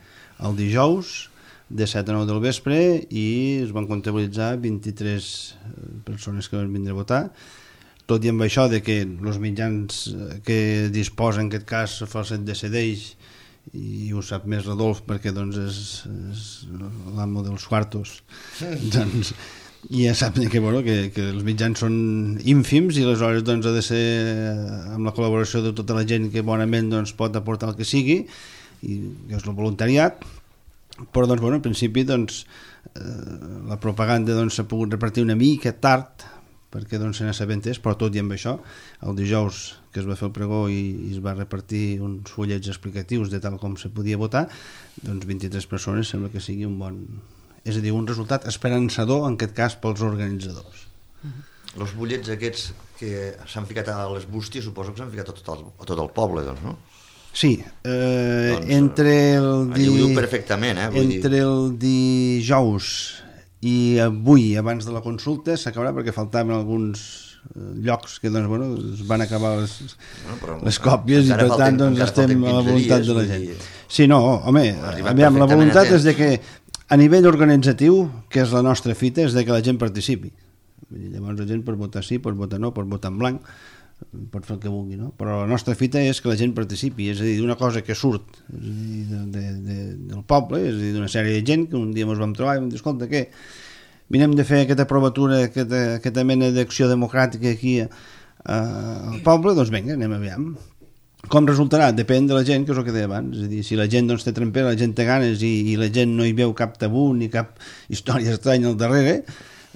el dijous de set a nou del vespre i es van comptabilitzar vint-i-tres persones que van vindre a votar. Tot i amb això de que els mitjans que disposen en aquest cas Falset decideix, i ho sap més Rodolf perquè doncs és, és l'amo dels quartos, doncs i ja sap que, bueno, que, que els mitjans són ínfims i aleshores doncs, ha de ser amb la col·laboració de tota la gent que bonament doncs, pot aportar el que sigui, i que és el voluntariat, però doncs, bueno, en principi doncs, eh, la propaganda doncs, s'ha pogut repartir una mica tard perquè doncs, se n'assabentés, però tot i amb això, el dijous que es va fer el pregó i, i es va repartir uns fullets explicatius de tal com se podia votar, doncs vint-i-tres persones sembla que sigui un bon... És a dir, un resultat esperançador, en aquest cas, pels organitzadors. Els uh-huh. bullets aquests que s'han ficat a les bústies, suposo que s'han ficat a tot el, a tot el poble, doncs, no? Sí, eh, doncs, entre el... Di... Ho diu perfectament, eh? Vull entre dir... el dijous i avui, abans de la consulta, s'acabarà perquè faltaven alguns llocs que doncs, bueno, es van acabar les, bueno, les còpies i per tant doncs, estem a la voluntat de la gent. Dir... Sí, no, home, aviam, la voluntat és de que a nivell organitzatiu, que és la nostra fita, és de que la gent participi. Llavors la gent pot votar sí, pot votar no, pot votar en blanc, pot fer el que vulgui, no? Però la nostra fita és que la gent participi, és a dir, d'una cosa que surt és a dir, de, de, de, del poble, és a dir, d'una sèrie de gent que un dia ens vam trobar i vam dir, escolta, què? Mirem de fer aquesta provatura, aquesta, aquesta mena d'acció democràtica aquí a, a, al poble, doncs vinga, anem aviam. Com resultarà? Depèn de la gent, que és el que deia abans, és a dir, si la gent doncs, té trempera, la gent té ganes i, i la gent no hi veu cap tabú ni cap història estranya al darrere,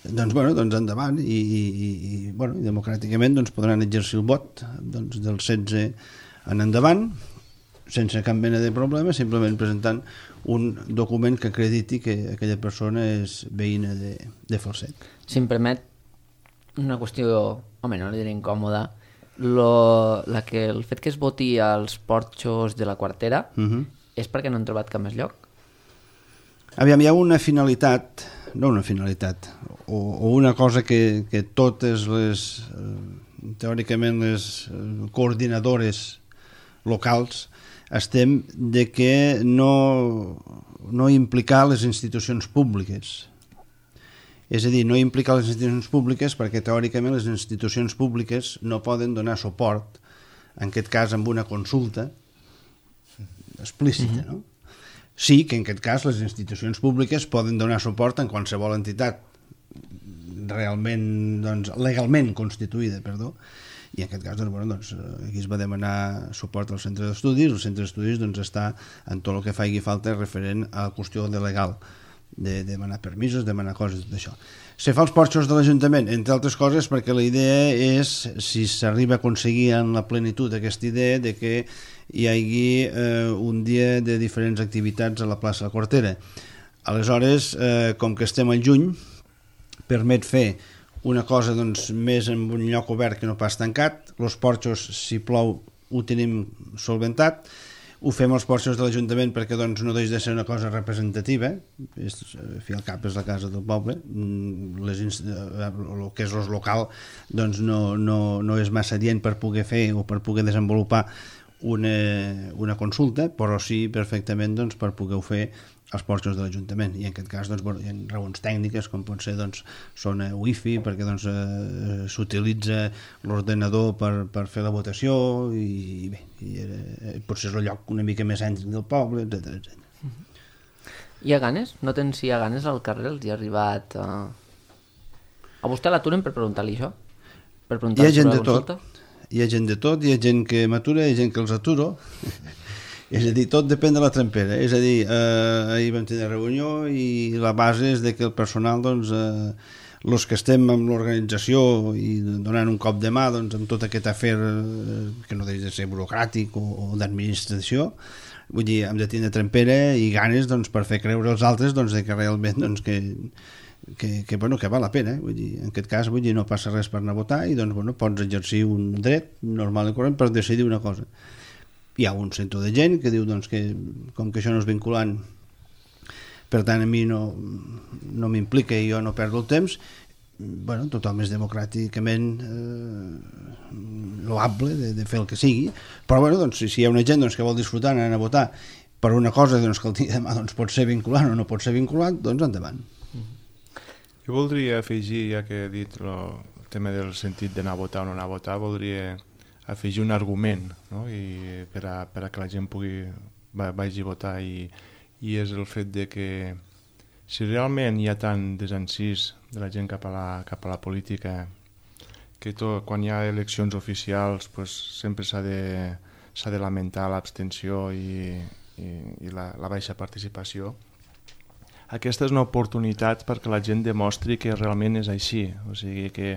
doncs, bueno, doncs endavant i, i, i, bueno, i democràticament doncs, podran exercir el vot doncs, del setze en endavant sense cap mena de problema, simplement presentant un document que acrediti que aquella persona és veïna de, de Falset. Si em permet una qüestió, home, no li diré incòmoda, lo, la que, el fet que es voti als porxos de la quartera uh-huh. és perquè no han trobat cap més lloc? Aviam, hi ha una finalitat, no una finalitat, o, o una cosa que, que totes les, eh, teòricament les eh, coordinadores locals estem de que no, no implicar les institucions públiques. És a dir, no implicar les institucions públiques perquè teòricament les institucions públiques no poden donar suport, en aquest cas amb una consulta explícita, no? Sí que en aquest cas les institucions públiques poden donar suport en qualsevol entitat realment, doncs, legalment constituïda, perdó, i en aquest cas doncs, bueno, doncs, aquí es va demanar suport al centre d'estudis, el centre d'estudis doncs, està en tot el que faci falta referent a la qüestió de legal, de demanar permisos, demanar coses, tot això. Se fa els porxos de l'Ajuntament, entre altres coses perquè la idea és, si s'arriba a aconseguir en la plenitud aquesta idea de que hi hagi eh, un dia de diferents activitats a la plaça de la Quartera. Aleshores, eh, com que estem al juny, permet fer una cosa doncs, més en un lloc obert que no pas tancat. Els porxos, si plou, ho tenim solventat. Ho fem als porxos de l'Ajuntament perquè doncs, no deixa de ser una cosa representativa. És, al fi al cap és la casa del poble. Les, el que és el local doncs, no, no, no és massa adient per poder fer o per poder desenvolupar una, una consulta, però sí perfectament doncs, per poder fer als porxos de l'Ajuntament, i en aquest cas doncs, bueno, hi ha raons tècniques com pot ser doncs, zona wifi perquè doncs, eh, s'utilitza l'ordenador per, per fer la votació i, i bé, i, eh, potser és el lloc una mica més cèntric del poble, etcètera, etcètera. Hi ha ganes? Noten si hi ha ganes al carrer? Els hi ha arribat... Uh... A vostè l'aturen per preguntar-li això? Per preguntar-li hi ha gent sobre de la consulta? tot. Hi ha gent de tot, hi ha gent que m'atura, hi ha gent que els aturo. És a dir, tot depèn de la trempera. És a dir, eh, ahir vam tenir reunió i la base és de que el personal, doncs, eh, els que estem amb l'organització i donant un cop de mà doncs, amb tot aquest afer eh, que no deixa de ser burocràtic o, o d'administració, vull dir, hem de tenir trempera i ganes doncs, per fer creure als altres doncs, de que realment doncs, que, que, que, bueno, que val la pena. Vull dir, en aquest cas vull dir, no passa res per anar a votar i doncs, bueno, pots exercir un dret normal i corrent per decidir una cosa. Hi ha un centre de gent que diu doncs, que com que això no és vinculant, per tant a mi no, no m'implica i jo no perdo el temps, bueno, tothom és democràticament eh, loable de, de fer el que sigui, però bueno, doncs, si, si hi ha una gent doncs, que vol disfrutar anar a votar per una cosa doncs, que el dia demà doncs, pot ser vinculant o no pot ser vinculant, doncs endavant. Jo voldria afegir, ja que he dit lo, el tema del sentit d'anar a votar o no anar a votar, voldria afegir un argument, no? I per, a, per a que la gent pugui va, vagi a votar i, i és el fet de que si realment hi ha tant desencís de la gent cap a la, cap a la política que tot, quan hi ha eleccions oficials pues, sempre s'ha de, s'ha de lamentar l'abstenció i, i, i la, la baixa participació, aquesta és una oportunitat perquè la gent demostri que realment és així, o sigui que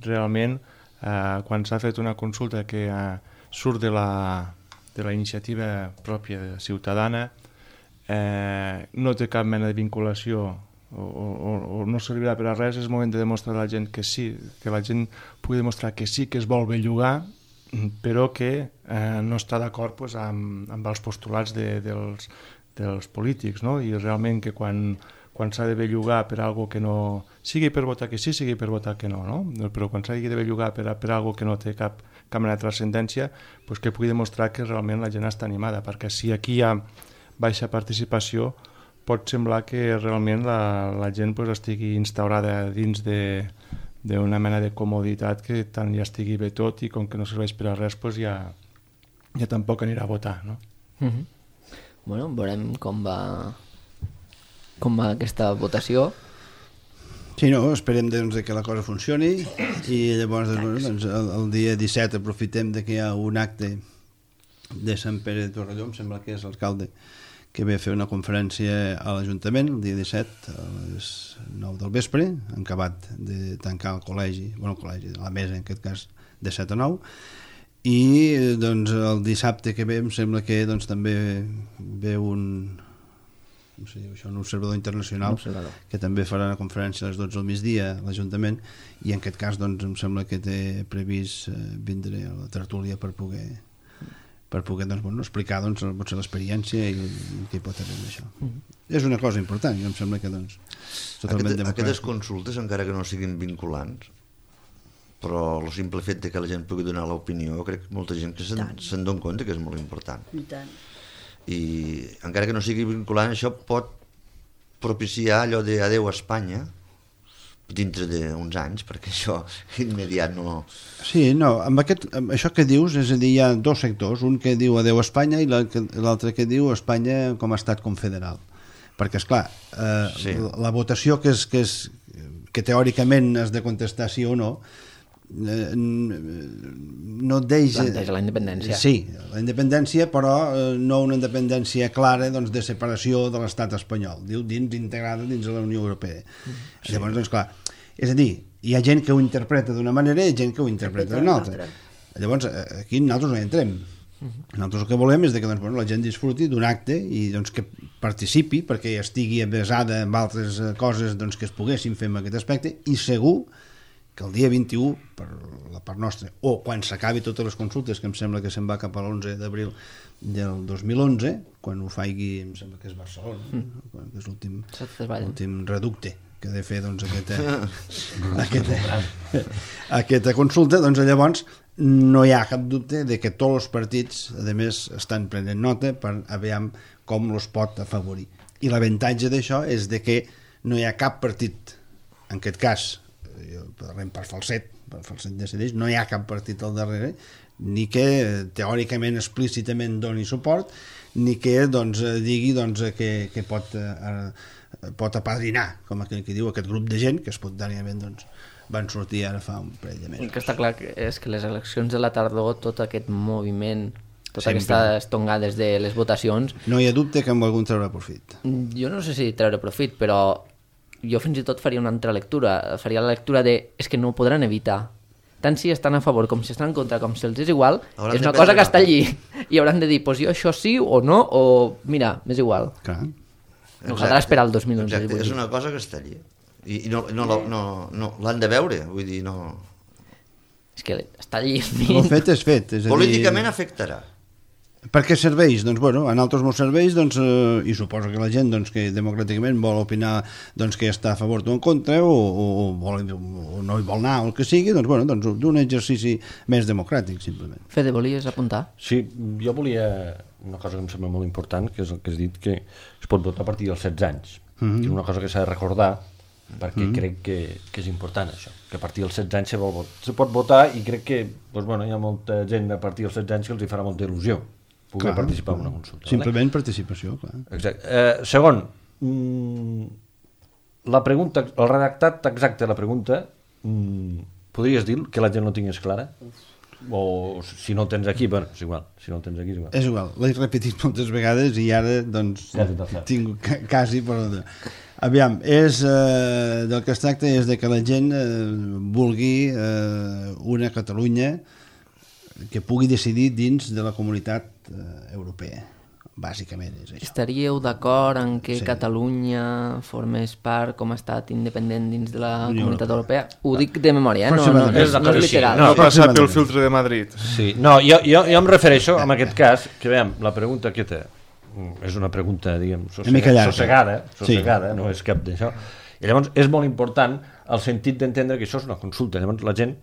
realment Uh, quan s'ha fet una consulta que uh, surt de la, de la iniciativa pròpia ciutadana, eh, no té cap mena de vinculació o, o, o no servirà per a res, és moment de demostrar a la gent que sí, que la gent pugui demostrar que sí que es vol bellugar, però que eh, no està d'acord pues, amb, amb els postulats de, dels, dels polítics, no? I realment que quan quan s'ha de bellugar per algo que no... sigui per votar que sí, sigui per votar que no, no? Però quan s'ha de bellugar per, per algo que no té cap, cap mena de transcendència, pues que pugui demostrar que realment la gent està animada, perquè si aquí hi ha baixa participació, pot semblar que realment la, la gent pues, estigui instaurada dins de d'una mena de comoditat que tant ja estigui bé tot i com que no serveix per a res, pues ja, ja tampoc anirà a votar, no? Mm-hmm. Bueno, veurem com va... com va aquesta votació. Sí, no, esperem doncs, que la cosa funcioni i llavors doncs, doncs, el, el dia disset aprofitem de que hi ha un acte de Sant Pere de Torelló, em sembla que és l'alcalde, que ve a fer una conferència a l'Ajuntament el dia disset a les nou del vespre, han acabat de tancar el col·legi, bueno, el col·legi, la mesa en aquest cas, de set a nou, i doncs, el dissabte que ve em sembla que doncs, també ve un... no sé, això, un observador internacional, un observador. Que també farà una conferència a les dotze del migdia a l'Ajuntament i en aquest cas doncs, em sembla que té previst eh, vindre a la tertúlia per poder, per poder doncs, bueno, explicar doncs, potser l'experiència i què pot haver d'això. Mm-hmm. És una cosa important i em sembla que doncs, totalment Aquest, democràtic. Aquestes consultes, encara que no siguin vinculants, però el simple fet de que la gent pugui donar l'opinió, crec que molta gent que se'n se dona compte que és molt important. I tant. I encara que no sigui vinculant, això pot propiciar allò de adeu a Espanya dintre d'uns anys, perquè això immediat no... Sí, no, amb, aquest, amb això que dius, és a dir, hi ha dos sectors, un que diu adeu a Espanya i l'altre que diu Espanya com a estat confederal. Perquè, esclar, eh, sí. la, la votació que, és, que, és, que teòricament has de contestar sí o no, Eh, no et deixa... Planteja la independència. Sí, la independència, però eh, no una independència clara doncs, de separació de l'estat espanyol, diu dins integrada dins de la Unió Europea. Sí. Llavors, doncs clar, és a dir, hi ha gent que ho interpreta d'una manera i gent que ho interpreta d'una altra. Llavors, aquí nosaltres no hi entrem. Nosaltres el que volem és que doncs, bueno, la gent disfruti d'un acte i doncs, que participi perquè estigui avesada amb altres coses doncs, que es poguessin fer en aquest aspecte i segur que el dia vint-i-u, per la part nostra, o quan s'acabi totes les consultes, que em sembla que se'n va cap a l'onze d'abril del dos mil onze, quan ho faigui, em sembla que és Barcelona, mm. no? Que és l'últim l'últim reducte que ha de fer doncs, aquesta, aquesta, aquesta consulta, doncs llavors no hi ha cap dubte de que tots els partits, a més, estan prenent nota per aviam com els pot afavorir. I l'avantatge d'això és de que no hi ha cap partit, en aquest cas, parlem per falset, per falset decideix, no hi ha cap partit al darrere, ni que teòricament, explícitament doni suport, ni que doncs, digui doncs, que, que pot, eh, pot apadrinar, com aquell que diu, aquest grup de gent que espontanèment doncs, van sortir ara fa un parell de mesos. El que està clar és que les eleccions de la tardor, tot aquest moviment, totes Sempre. aquestes tongades de les votacions... No hi ha dubte que en algun treure profit. Jo no sé si treure profit, però jo fins i tot faria una altra lectura. Faria la lectura de... és que no ho podran evitar. Tant si estan a favor com si estan en contra, com si els és igual, hauran és una cosa que està allí. I hauran de dir, pues jo això sí o no, o mira, m'és igual. Clar. No caldrà esperar el dos mil onze. Exacte, és una cosa que està allí. I, i no, no, no, no, no l'han de veure, vull dir, no... És que està allí. El fet és fet. És a dir, políticament afectarà. Per què serveix? Doncs, bueno, a nosaltres molts serveis, doncs, eh, i suposo que la gent doncs, que democràticament vol opinar doncs, que està a favor o en contra, o, o, o, vol, o no hi vol anar, o el que sigui, doncs, bueno, doncs, d'un exercici més democràtic, simplement. Fede, volies apuntar? Sí, jo volia una cosa que em sembla molt important, que és el que has dit, que es pot votar a partir dels setze anys. Mm-hmm. És una cosa que s'ha de recordar, perquè mm-hmm. crec que, que és important això, que a partir dels setze anys se, vol, se pot votar, i crec que doncs, bueno, hi ha molta gent a partir dels setze anys que els hi farà molta il·lusió poder clar, participar en una consulta. Simplement vale? Participació, clar. Exacte. Eh, segon, mm, la pregunta, el redactat exacte de la pregunta, mm, podries dir que la gent no tingués clara? O si no el tens aquí, bueno, és igual. Si no el tens aquí, és igual. És igual, l'he repetit moltes vegades i ara, doncs, ja tinc quasi per... Aviam, és, eh, del que es tracta és de que la gent eh, vulgui eh, una Catalunya que pugui decidir dins de la comunitat eh, europea. Bàsicament és això. Estaríeu d'acord en que sí. Catalunya formés part com a estat independent dins de la Unió Comunitat Europea? Ho dic de memòria, eh? no, no, no, és, no és literal. No, no passar pel filtre de Madrid. Sí, no, jo, jo, jo em refereixo, en aquest cas, que veiem, la pregunta aquesta és una pregunta, diguem, sossegada, sossegada, sossegada sí. No és cap d'això. I llavors és molt important el sentit d'entendre que això és una consulta. Llavors la gent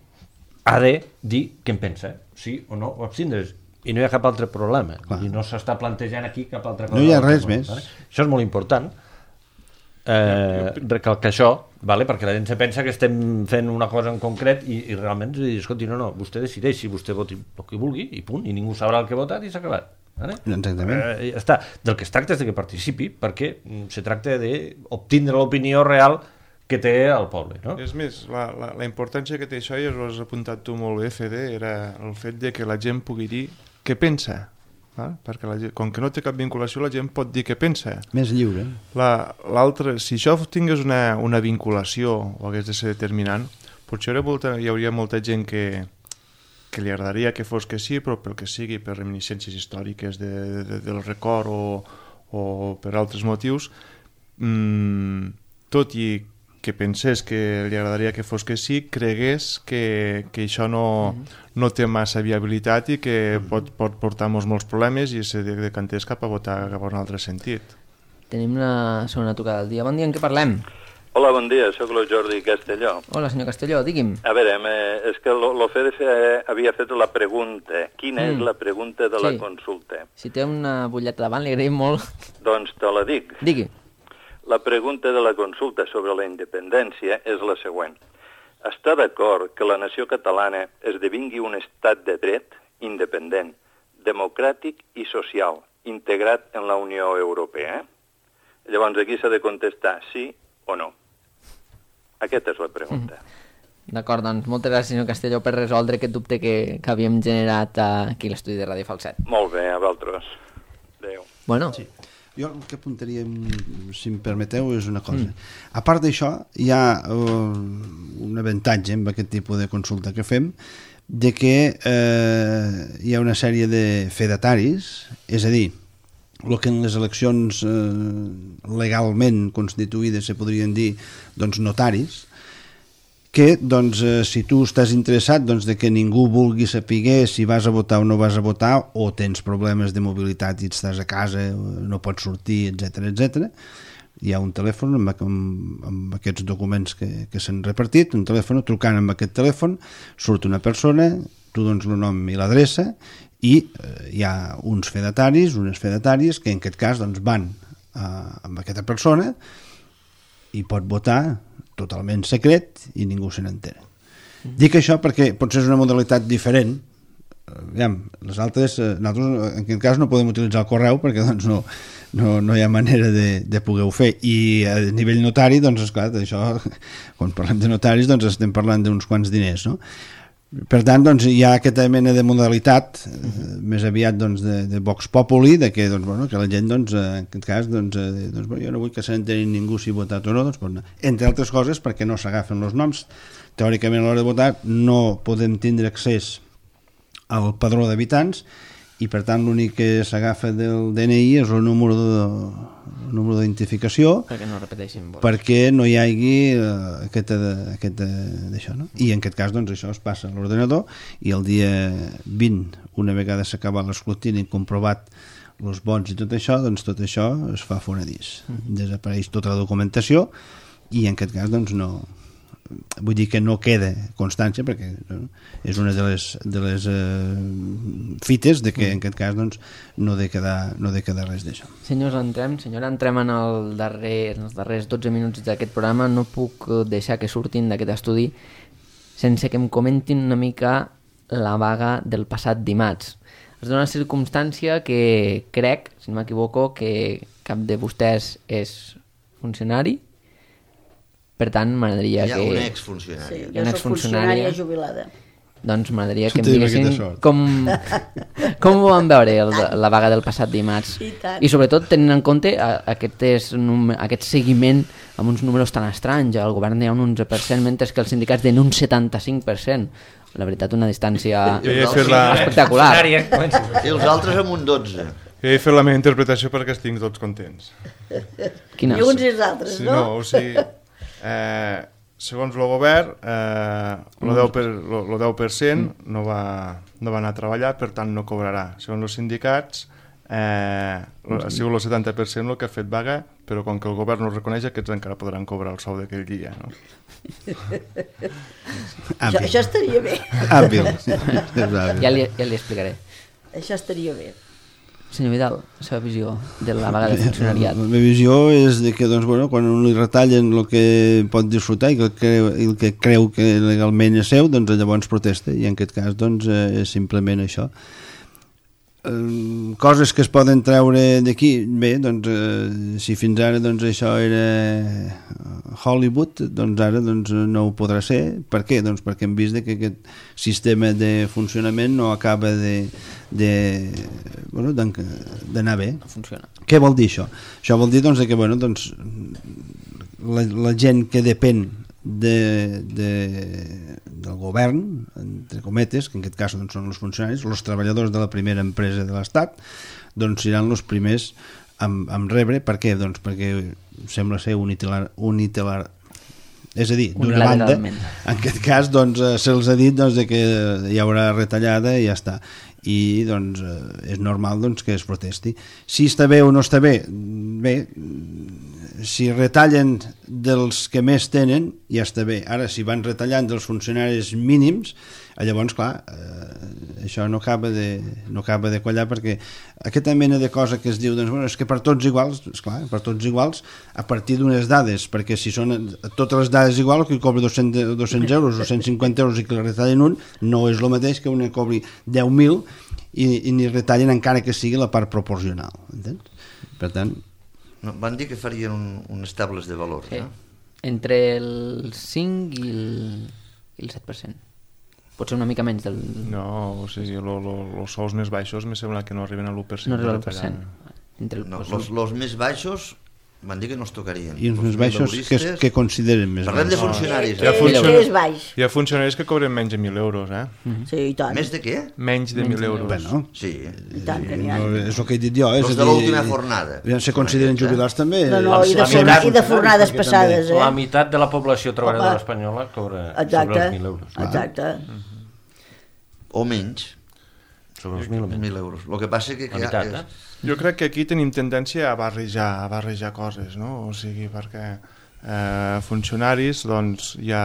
ha de dir què en pensa, sí o no, o abstindre's. I no hi ha cap altre problema. I no s'està plantejant aquí cap altra cosa. No hi ha res més. Vale? Això és molt important. Eh, recalcar això, vale? Perquè la gent se pensa que estem fent una cosa en concret i, i realment, escolti, no, no, vostè decideix si vostè voti el que vulgui i punt, i ningú sabrà el que ha votat i s'ha acabat. Vale? Exactament. Eh, ja està. Del que es tracta és de que participi, perquè se tracta d'obtindre l'opinió real que té el poble, no? És més, la, la, la importància que té això, i ho has apuntat tu molt bé, Fede, era el fet de que la gent pugui dir què pensa, val? Perquè la gent, com que no té cap vinculació, la gent pot dir què pensa. Més lliure. L'altre, la, si això tingués una, una vinculació o hagués de ser determinant, potser molta, hi hauria molta gent que, que li agradaria que fos que sí, però pel que sigui, per reminiscències històriques de, de, del record o, o per altres motius, mmm, tot i que pensés que li agradaria que fos que sí, cregués que, que això no, mm-hmm. no té massa viabilitat i que mm-hmm. pot, pot portar molts, molts problemes i se decantés cap a votar cap a un altre sentit. Tenim la segona tocada del dia. Bon dia, en què parlem? Hola, bon dia, sóc el Jordi Castelló. Hola, senyor Castelló, digui'm. A veure, és que l'Ofede havia fet la pregunta. Quina mm. és la pregunta de sí. la consulta? Si té una butlleta davant, li agraïm molt. Doncs te la dic. Digui. La pregunta de la consulta sobre la independència és la següent. Està d'acord que la nació catalana esdevingui un estat de dret independent, democràtic i social, integrat en la Unió Europea? Llavors aquí s'ha de contestar sí o no. Aquesta és la pregunta. Mm. D'acord, doncs moltes gràcies, senyor Castelló, per resoldre aquest dubte que, que havíem generat aquí a l'estudi de Ràdio Falset. Molt bé, a vosaltres. Adéu. Bueno. Sí. Jo el que apuntaria, si em permeteu, és una cosa. Mm. A part d'això, hi ha uh, un avantatge amb aquest tipus de consulta que fem, de que eh, hi ha una sèrie de fedataris, és a dir, el que en les eleccions eh, legalment constituïdes se podrien dir doncs, notaris, que doncs, eh, si tu estàs interessat doncs, de que ningú vulgui saber si vas a votar o no vas a votar, o tens problemes de mobilitat i estàs a casa, no pots sortir, etcètera, etcètera, hi ha un telèfon amb, amb, amb aquests documents que, que s'han repartit, un telèfon, trucant amb aquest telèfon, surt una persona, tu dones el nom i l'adreça, i eh, hi ha uns fedataris, unes fedatàries, que en aquest cas doncs, van eh, amb aquesta persona i pot votar totalment secret i ningú se n'entera. Mm. Dic això perquè potser és una modalitat diferent. Aviam, les altres, nosaltres en aquest cas no podem utilitzar el correu perquè doncs, no, no, no hi ha manera de, de poder-ho fer, i a nivell notari, doncs esclar, això, quan parlem de notaris doncs estem parlant d'uns quants diners, no? Per tant, doncs, hi ha aquesta mena de modalitat eh, més aviat doncs, de, de Vox Populi, de que, doncs, bueno, que la gent doncs, en aquest cas doncs, eh, doncs, bueno, jo no vull que se n'enteri ningú si ha votat o no, doncs, bueno, entre altres coses perquè no s'agafen els noms. Teòricament a l'hora de votar no podem tindre accés al padró d'habitants i per tant l'únic que s'agafa del D N I és el número de, el número d'identificació perquè no repeteixin vots, perquè no hi hagi uh, aquesta d'això, no? I en aquest cas doncs això es passa a l'ordenador i el dia vint, una vegada s'acaba l'escrutini i comprovat els vots i tot això, doncs tot això es fa fonedís, mm. desapareix tota la documentació i en aquest cas doncs no, vull dir que no queda constància perquè no, és una de les, de les eh, fites de que en aquest cas doncs, no ha de quedar, no ha de quedar res d'això. Senyors, entrem, senyora, entrem en, el darrer, en els darrers dotze minuts d'aquest programa. No puc deixar que surtin d'aquest estudi sense que em comentin una mica la vaga del passat dimarts. Es dona la circumstància que crec, si no m'equivoco, que cap de vostès és funcionari. Per tant, m'agradaria que... Hi ha una exfuncionària. Sí, jo soc funcionària jubilada. Doncs m'agradaria que em diguessin com, com ho van veure el, la vaga del passat dimarts. I, I sobretot tenint en compte aquest, aquest seguiment amb uns números tan estranys. El govern hi ha un onze per cent, mentre que els sindicats tenen un setanta-cinc per cent. La veritat, una distància la... espectacular. I els altres amb un dotze. Jo he fet la meva interpretació perquè estic tots contents. Quina? I uns i els altres, sí, no? No, o sigui... Eh, segons el govern eh, el deu per cent no va, no va anar a treballar, per tant no cobrarà. Segons els sindicats eh, ha sigut el setanta per cent el que ha fet vaga, però com que el govern no reconeix, aquests encara podran cobrar el sou d'aquell dia, no? això, això estaria bé. ja, li, ja li explicaré. Això estaria bé. Senyor Vidal, la seva visió de la vaga de funcionariat. La meva visió és de que doncs, bueno, quan li retallen el que pot disfrutar i el que, el que creu que legalment és seu, doncs llavors protesta, i en aquest cas doncs, és simplement això. Eh, coses que es poden treure d'aquí, bé, doncs, eh, si fins ara doncs, això era Hollywood, doncs ara doncs, no ho podrà ser. Per què? Doncs perquè hem vist que aquest sistema de funcionament no acaba de, de, bueno, d'anar bé. No funciona. Què vol dir això? Això vol dir doncs, que bueno, doncs, la, la gent que depèn de, de, del govern, entre cometes, que en aquest cas doncs, són els funcionaris, els treballadors de la primera empresa de l'Estat, doncs seran els primers amb, amb rebre. Per què? Doncs perquè sembla ser unitelar, unitelar és a dir, d'una banda, en aquest cas doncs, se'ls ha dit doncs, que hi haurà retallada i ja està, i doncs és normal doncs, que es protesti. Si està bé o no està bé, bé, si retallen dels que més tenen, ja està bé. Ara, si van retallant dels funcionaris mínims, llavors, clar, eh, això no acaba de, no acaba de quallar, perquè aquesta mena de cosa que es diu, doncs, bueno, és que per tots iguals, esclar, per tots iguals, a partir d'unes dades, perquè si són totes les dades igual, que cobri dos-cents euros o cent cinquanta euros i que li retallen un, no és el mateix que una cobri deu mil i, i ni retallen encara que sigui la part proporcional, entens? Per tant... No, van dir que farien un, uns tables de valor, sí. No? Entre el cinc i el, i el set per cent. Potser una mica menys del... No, o sigui, els sous més baixos me sembla que no arriben a l'u per cent. No arriben a l'u per cent. Entre el... No, los, los més baixos Van dir que no els tocarien. I els més baixos, que, que consideren més Parlem baixos? de funcionaris. Què, què, què és baix? Hi ha funcionaris que cobren menys de mil euros, eh? Sí, i tant. Més de què? Menys de mil euros. Bueno, Sí. I tant que n'hi ha. no, és el que he dit jo. És Els a de dir, l'última fornada. ja se consideren jubilats també. No, no, i de, La forna, meitat- i de fornades perquè passades, eh? La meitat de la població treballadora Home. espanyola cobra Exacte, sobre els mil euros. exacte. O menys. Sobre els mil o menys. mil euros. El que passa que... La meitat, eh? Jo crec que aquí tenim tendència a barrejar, a barrejar coses, no? O sigui, perquè eh, funcionaris, doncs, ja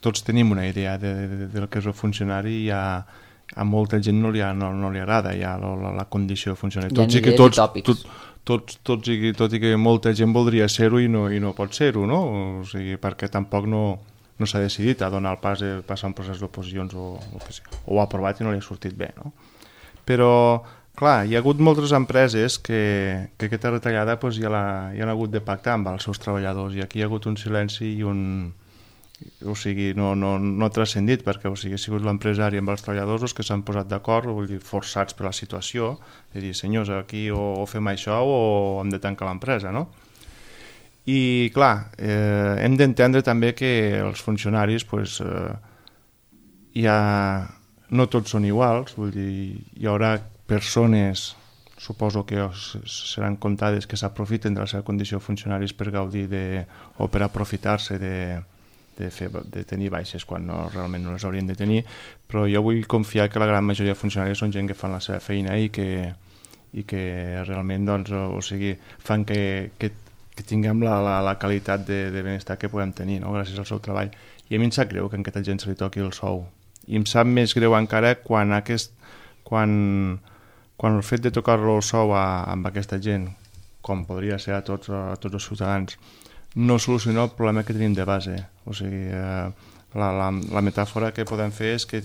tots tenim una idea de, de, del que és el funcionari i ja a molta gent no li, ha, no, no li agrada ja la, la, la condició de funcionari. Hi ha Tots i que idees tots, i tòpics. tot, tots, tots i, tot i que molta gent voldria ser-ho i no, i no pot ser-ho, no? O sigui, perquè tampoc no, no s'ha decidit a donar el pas de passar un procés d'oposicions o, o, que sigui, o ho ha aprovat i no li ha sortit bé, no? Però, clar, hi ha hagut moltes empreses que, que aquesta retallada pues, ja, la, ja han hagut de pactar amb els seus treballadors i aquí hi ha hagut un silenci i un... O sigui, no, no, no ha transcendit perquè o sigui, ha sigut l'empresari amb els treballadors els que s'han posat d'acord, vull dir, forçats per la situació, de dir, senyors, aquí o, o fem això o hem de tancar l'empresa, no? I, clar, eh, hem d'entendre també que els funcionaris, pues, eh, hi ha... no tots són iguals, vull dir, hi haurà persones, suposo que seran comptades, que s'aprofiten de la seva condició de funcionaris per gaudir de, o per aprofitar-se de, de, fer, de tenir baixes quan no, realment no les haurien de tenir, però jo vull confiar que la gran majoria de funcionaris són gent que fan la seva feina i que, i que realment doncs, o sigui, fan que, que, que tinguem la, la, la qualitat de, de benestar que podem tenir, no? Gràcies al seu treball. I a mi em sap greu que a aquesta gent se li toqui el sou. I em sap més greu encara quan, aquest, quan, quan el fet de tocar-lo el sou a, amb aquesta gent, com podria ser a tots, a tots els ciutadans, no soluciona el problema que tenim de base. O sigui, eh, la, la, la metàfora que podem fer és que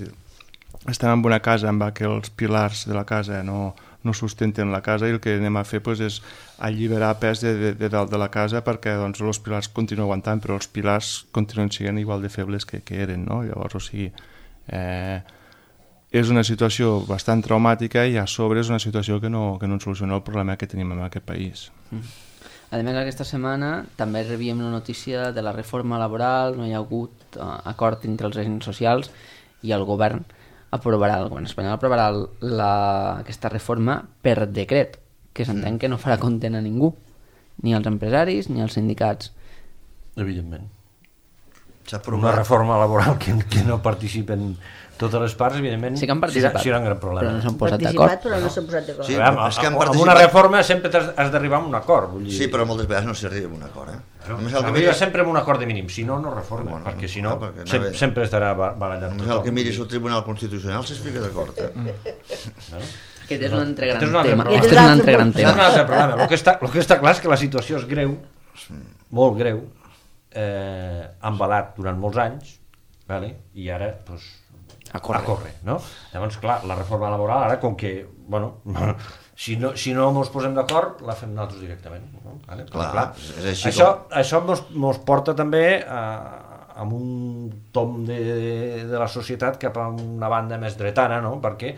estem en una casa amb què els pilars de la casa no, no sustenten la casa i el que anem a fer pues, és alliberar pes de, de, de dalt de la casa perquè doncs, els pilars continuen aguantant, però els pilars continuen sent igual de febles que, que eren. No? Llavors, o sigui, eh, és una situació bastant traumàtica i a sobre és una situació que no, que no ens soluciona el problema que tenim en aquest país. Mm. A més, aquesta setmana també rebíem la notícia de la reforma laboral, no hi ha hagut uh, acord entre els agents socials i el govern aprovarà, el govern espanyol aprovarà la, aquesta reforma per decret, que s'entén que no farà content a ningú, ni als empresaris ni als sindicats. Evidentment. Una una reforma laboral que, que no participen totes les parts, evidentment, sí que han participat, serà un gran problema. però no s'han posat Participat, d'acord. però no s'han posat d'acord. Sí, A veure, és que han amb participat- una reforma sempre t'has- has d'arribar a un acord. Vull dir... Sí, però moltes vegades no s'arriba a un acord, eh? Només el que Arriba miri, sempre amb un acord de mínim, si no, no reforma, Bueno, perquè si no, clar, perquè no sempre, ve- sempre estarà ba- barallat només el que miris el Tribunal Constitucional s'explica d'acord, eh? Aquest és un altre gran Aquest és un altre tema. problema. Aquest és un altre gran Això és un tema. altre problema. El que, està, el que està clar és que la situació és greu, molt greu, eh, embalat durant molts anys, vale? I ara, doncs, A córrer. a córrer, no? Llavors, clar, la reforma laboral, ara, com que, bueno, si no, si no ens posem d'acord, la fem nosaltres directament, no? Vale? Però, Clar, és així això, com- això mos, mos porta també a, amb un tom de, de la societat cap a una banda més dretana, no? Perquè,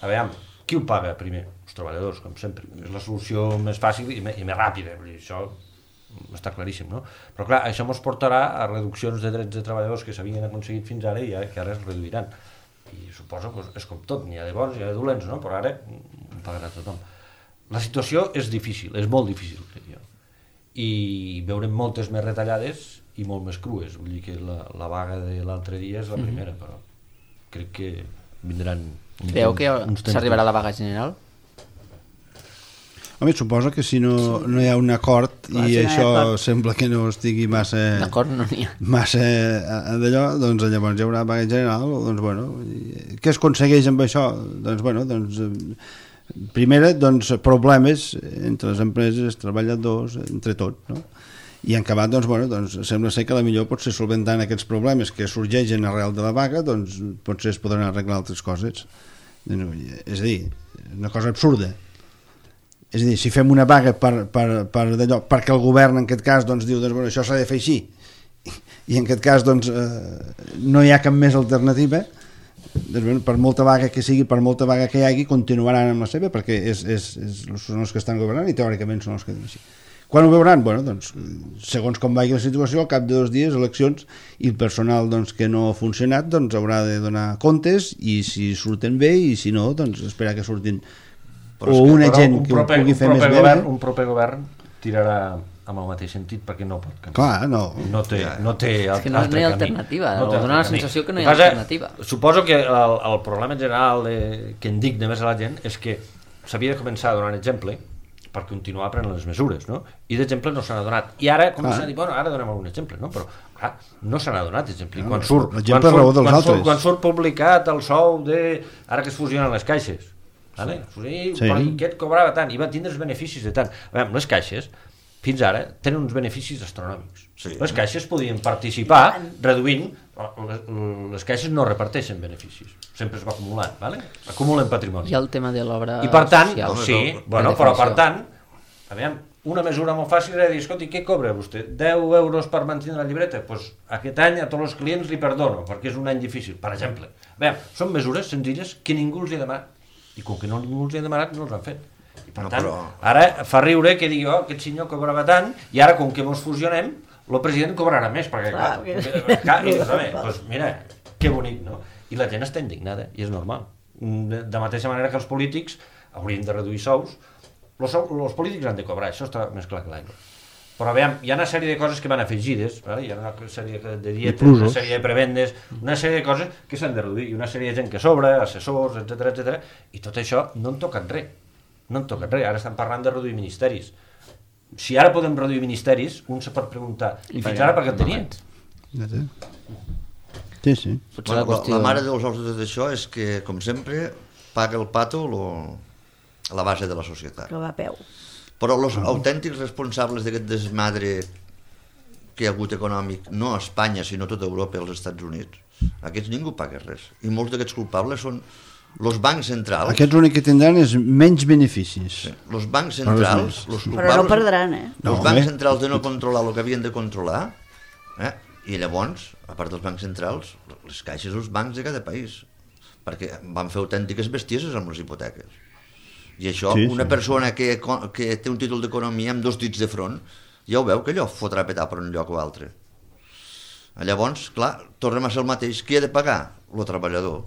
a veure, qui ho paga primer? Els treballadors, com sempre. És la solució més fàcil i, me, i més ràpida. Vull dir, això està claríssim, no? Però clar, això ens portarà a reduccions de drets de treballadors que s'havien aconseguit fins ara i que ara es reduiran. I suposo que és com tot, n'hi ha de bons i n'hi ha de dolents, no? Però ara ho pagarà tothom. La situació és difícil, és molt difícil, crec jo. I veurem moltes més retallades i molt més crues. Vull dir que la, la vaga de l'altre dia és la primera, però crec que vindran... Creu que s'arribarà a la vaga general? Home, suposa que si no, no hi ha un acord Clar, i si no hi ha això acord. sembla que no estigui massa... D'acord, no n'hi ha. massa eh, d'allò, doncs llavors hi haurà vaga general, doncs bueno, i què es aconsegueix amb això? Doncs bueno, doncs eh, primera, doncs problemes entre les empreses, els treballadors, entre tots, no? I en acabat, doncs bueno, doncs sembla ser que la millor pot ser solventant aquests problemes que sorgeixen arrel de la vaga, doncs potser es podran arreglar altres coses. És a dir, una cosa absurda. És a dir, si fem una vaga per, per, per d'allò, perquè el govern en aquest cas doncs, diu doncs, bueno, això s'ha de fer així i en aquest cas doncs, eh, no hi ha cap més alternativa, doncs, bueno, per molta vaga que sigui, per molta vaga que hi hagi, continuaran amb la seva perquè és, és, és, són els que estan governant i teòricament són els que diuen així. Quan ho veuran? Bueno, doncs, segons com vagi la situació, al cap de dos dies, eleccions, i el personal doncs, que no ha funcionat doncs, haurà de donar comptes, i si surten bé, i si no, doncs esperar que surtin però o una gent un que proper, ho pugui fer més govern, bé. Un proper govern tirarà amb el mateix sentit perquè no pot canviar. Clar, no. No té, no té és que no, no hi ha alternativa, no o dona la sensació que no hi ha passa, alternativa. Suposo que el, el problema general de, que indigna més a la gent és que s'havia de començar a donar un exemple per continuar prenent les mesures, no? I d'exemple no se n'ha donat. I ara comencen ah. a dir, bueno, ara donem algun exemple, no? Però, clar, no se n'ha donat exemple. No, quan, surt, quan, surt, quan, surt, quan surt publicat el sou de... Ara que es fusionen les caixes, vale? Sí. Sí. Aquest cobrava tant, i va tindre els beneficis de tant. A veure, les caixes, fins ara, tenen uns beneficis astronòmics. Sí. Les caixes podien participar reduint... Les caixes no reparteixen beneficis, sempre es va acumulant, ¿vale? Acumulen patrimoni. I el tema de l'obra I per tant, social. Sí, no, bueno, però per tant, aviam, una mesura molt fàcil era dir, escolti, què cobra vostè? deu euros per mantenir la llibreta? Doncs pues aquest any a tots els clients li perdono, perquè és un any difícil, per exemple. Aviam, són mesures senzilles que ningú els hi ha demanat, i com que no ningú els hi ha demanat, no els han fet. I per no, tant, però... ara fa riure que digui, oh, aquest senyor cobrava tant, i ara com que mos fusionem, el president cobrarà més, perquè clar, clar, que... clar i dius, doncs mira, que bonic, no? I la gent està indignada, i és normal. De, de mateixa manera que els polítics haurien de reduir sous, els, els polítics han de cobrar, això està més clar que l'aigua. Però veiem, hi ha una sèrie de coses que van afegides, ¿vale? Hi ha una sèrie de dietes, una sèrie de prebendes, una sèrie de coses que s'han de reduir, i una sèrie de gent que sobra, assessors, etcètera, etcètera, i tot això no en toquen res, no en toquen res, ara estan parlant de reduir ministeris. Si ara podem reduir ministeris, un se pot preguntar, i fins ara per què en tenien? Sí, sí. Bueno, la, la mare dels ous de tot això és que, com sempre, paga el pato lo, la base de la societat. Que va a peu. Però els uh-huh. autèntics responsables d'aquest desmadre que hi ha hagut econòmic, no a Espanya, sinó a tota Europa i als Estats Units, aquests ningú paga res. I molts d'aquests culpables són els bancs centrals... Aquests l'únic que tindran és menys beneficis. Sí. Els bancs centrals... Los Però no perdran, eh? Els no, bancs centrals de no controlar el que havien de controlar, eh? I llavors, a part dels bancs centrals, les caixes els bancs de cada país, perquè van fer autèntiques bestieses amb les hipoteques. I això, sí, una sí. persona que, que té un títol d'economia amb dos dits de front, ja ho veu que allò fotrà petar per un lloc o altre. Llavors, clar, tornem a ser el mateix. Qui ha de pagar? El treballador.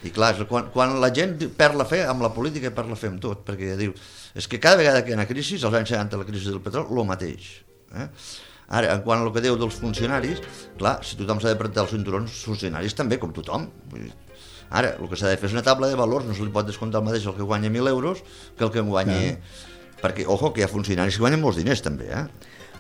I clar, quan, quan la gent perd la fe amb la política, perd la fe amb tot, perquè diu, és que cada vegada que hi ha una crisi, als anys setanta la crisi del petroli, el mateix. Eh? Ara, en quant al que diu dels funcionaris, clar, si tothom s'ha de apretar els cinturons, els funcionaris també, com tothom. Ara, el que s'ha de fer és una taula de valors, no se li pot descomptar el mateix el que guanya mil euros que el que en guanya... Ja. Perquè, ojo, que hi ha funcionaris que guanyen molts diners també, eh?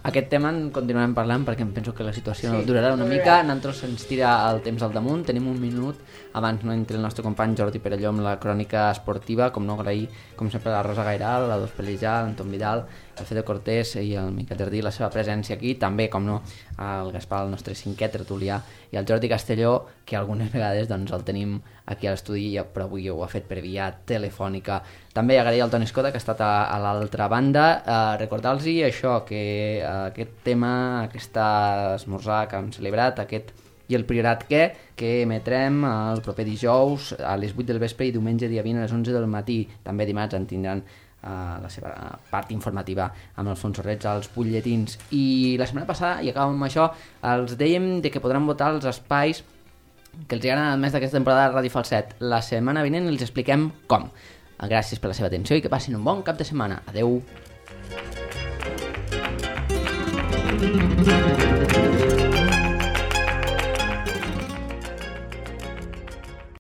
Aquest tema en continuarem parlant perquè em penso que la situació sí, durarà una mica. Nosaltres ens tira el temps al damunt. Tenim un minut abans no entri el nostre company Jordi Perelló amb la crònica esportiva. Com no, agrair, com sempre, la Rosa Gairal, la Dos Pellijà, l'Anton Vidal, el Fede Cortés i el Miquel Jardí, la seva presència aquí. També, com no, el Gaspar, el nostre cinquè tertulià, i el Jordi Castelló, que algunes vegades doncs, el tenim aquí a l'estudi, però avui ho ha fet per via telefònica. També agrair al Toni Escota, que ha estat a, a l'altra banda. Eh, recordar-los això, que eh, aquest tema, aquest esmorzar que hem celebrat, aquest i el Priorat què, que emetrem el proper dijous a les vuit del vespre i diumenge dia vint a les onze del matí. També dimarts en tindran uh, la seva part informativa amb el Alfonso Reig als butlletins. I la setmana passada, i acabem amb això, els dèiem de que podran votar els espais que els agraden més d'aquesta temporada de Ràdio Falset. La setmana vinent els expliquem com. Gràcies per la seva atenció i que passin un bon cap de setmana. Adeu.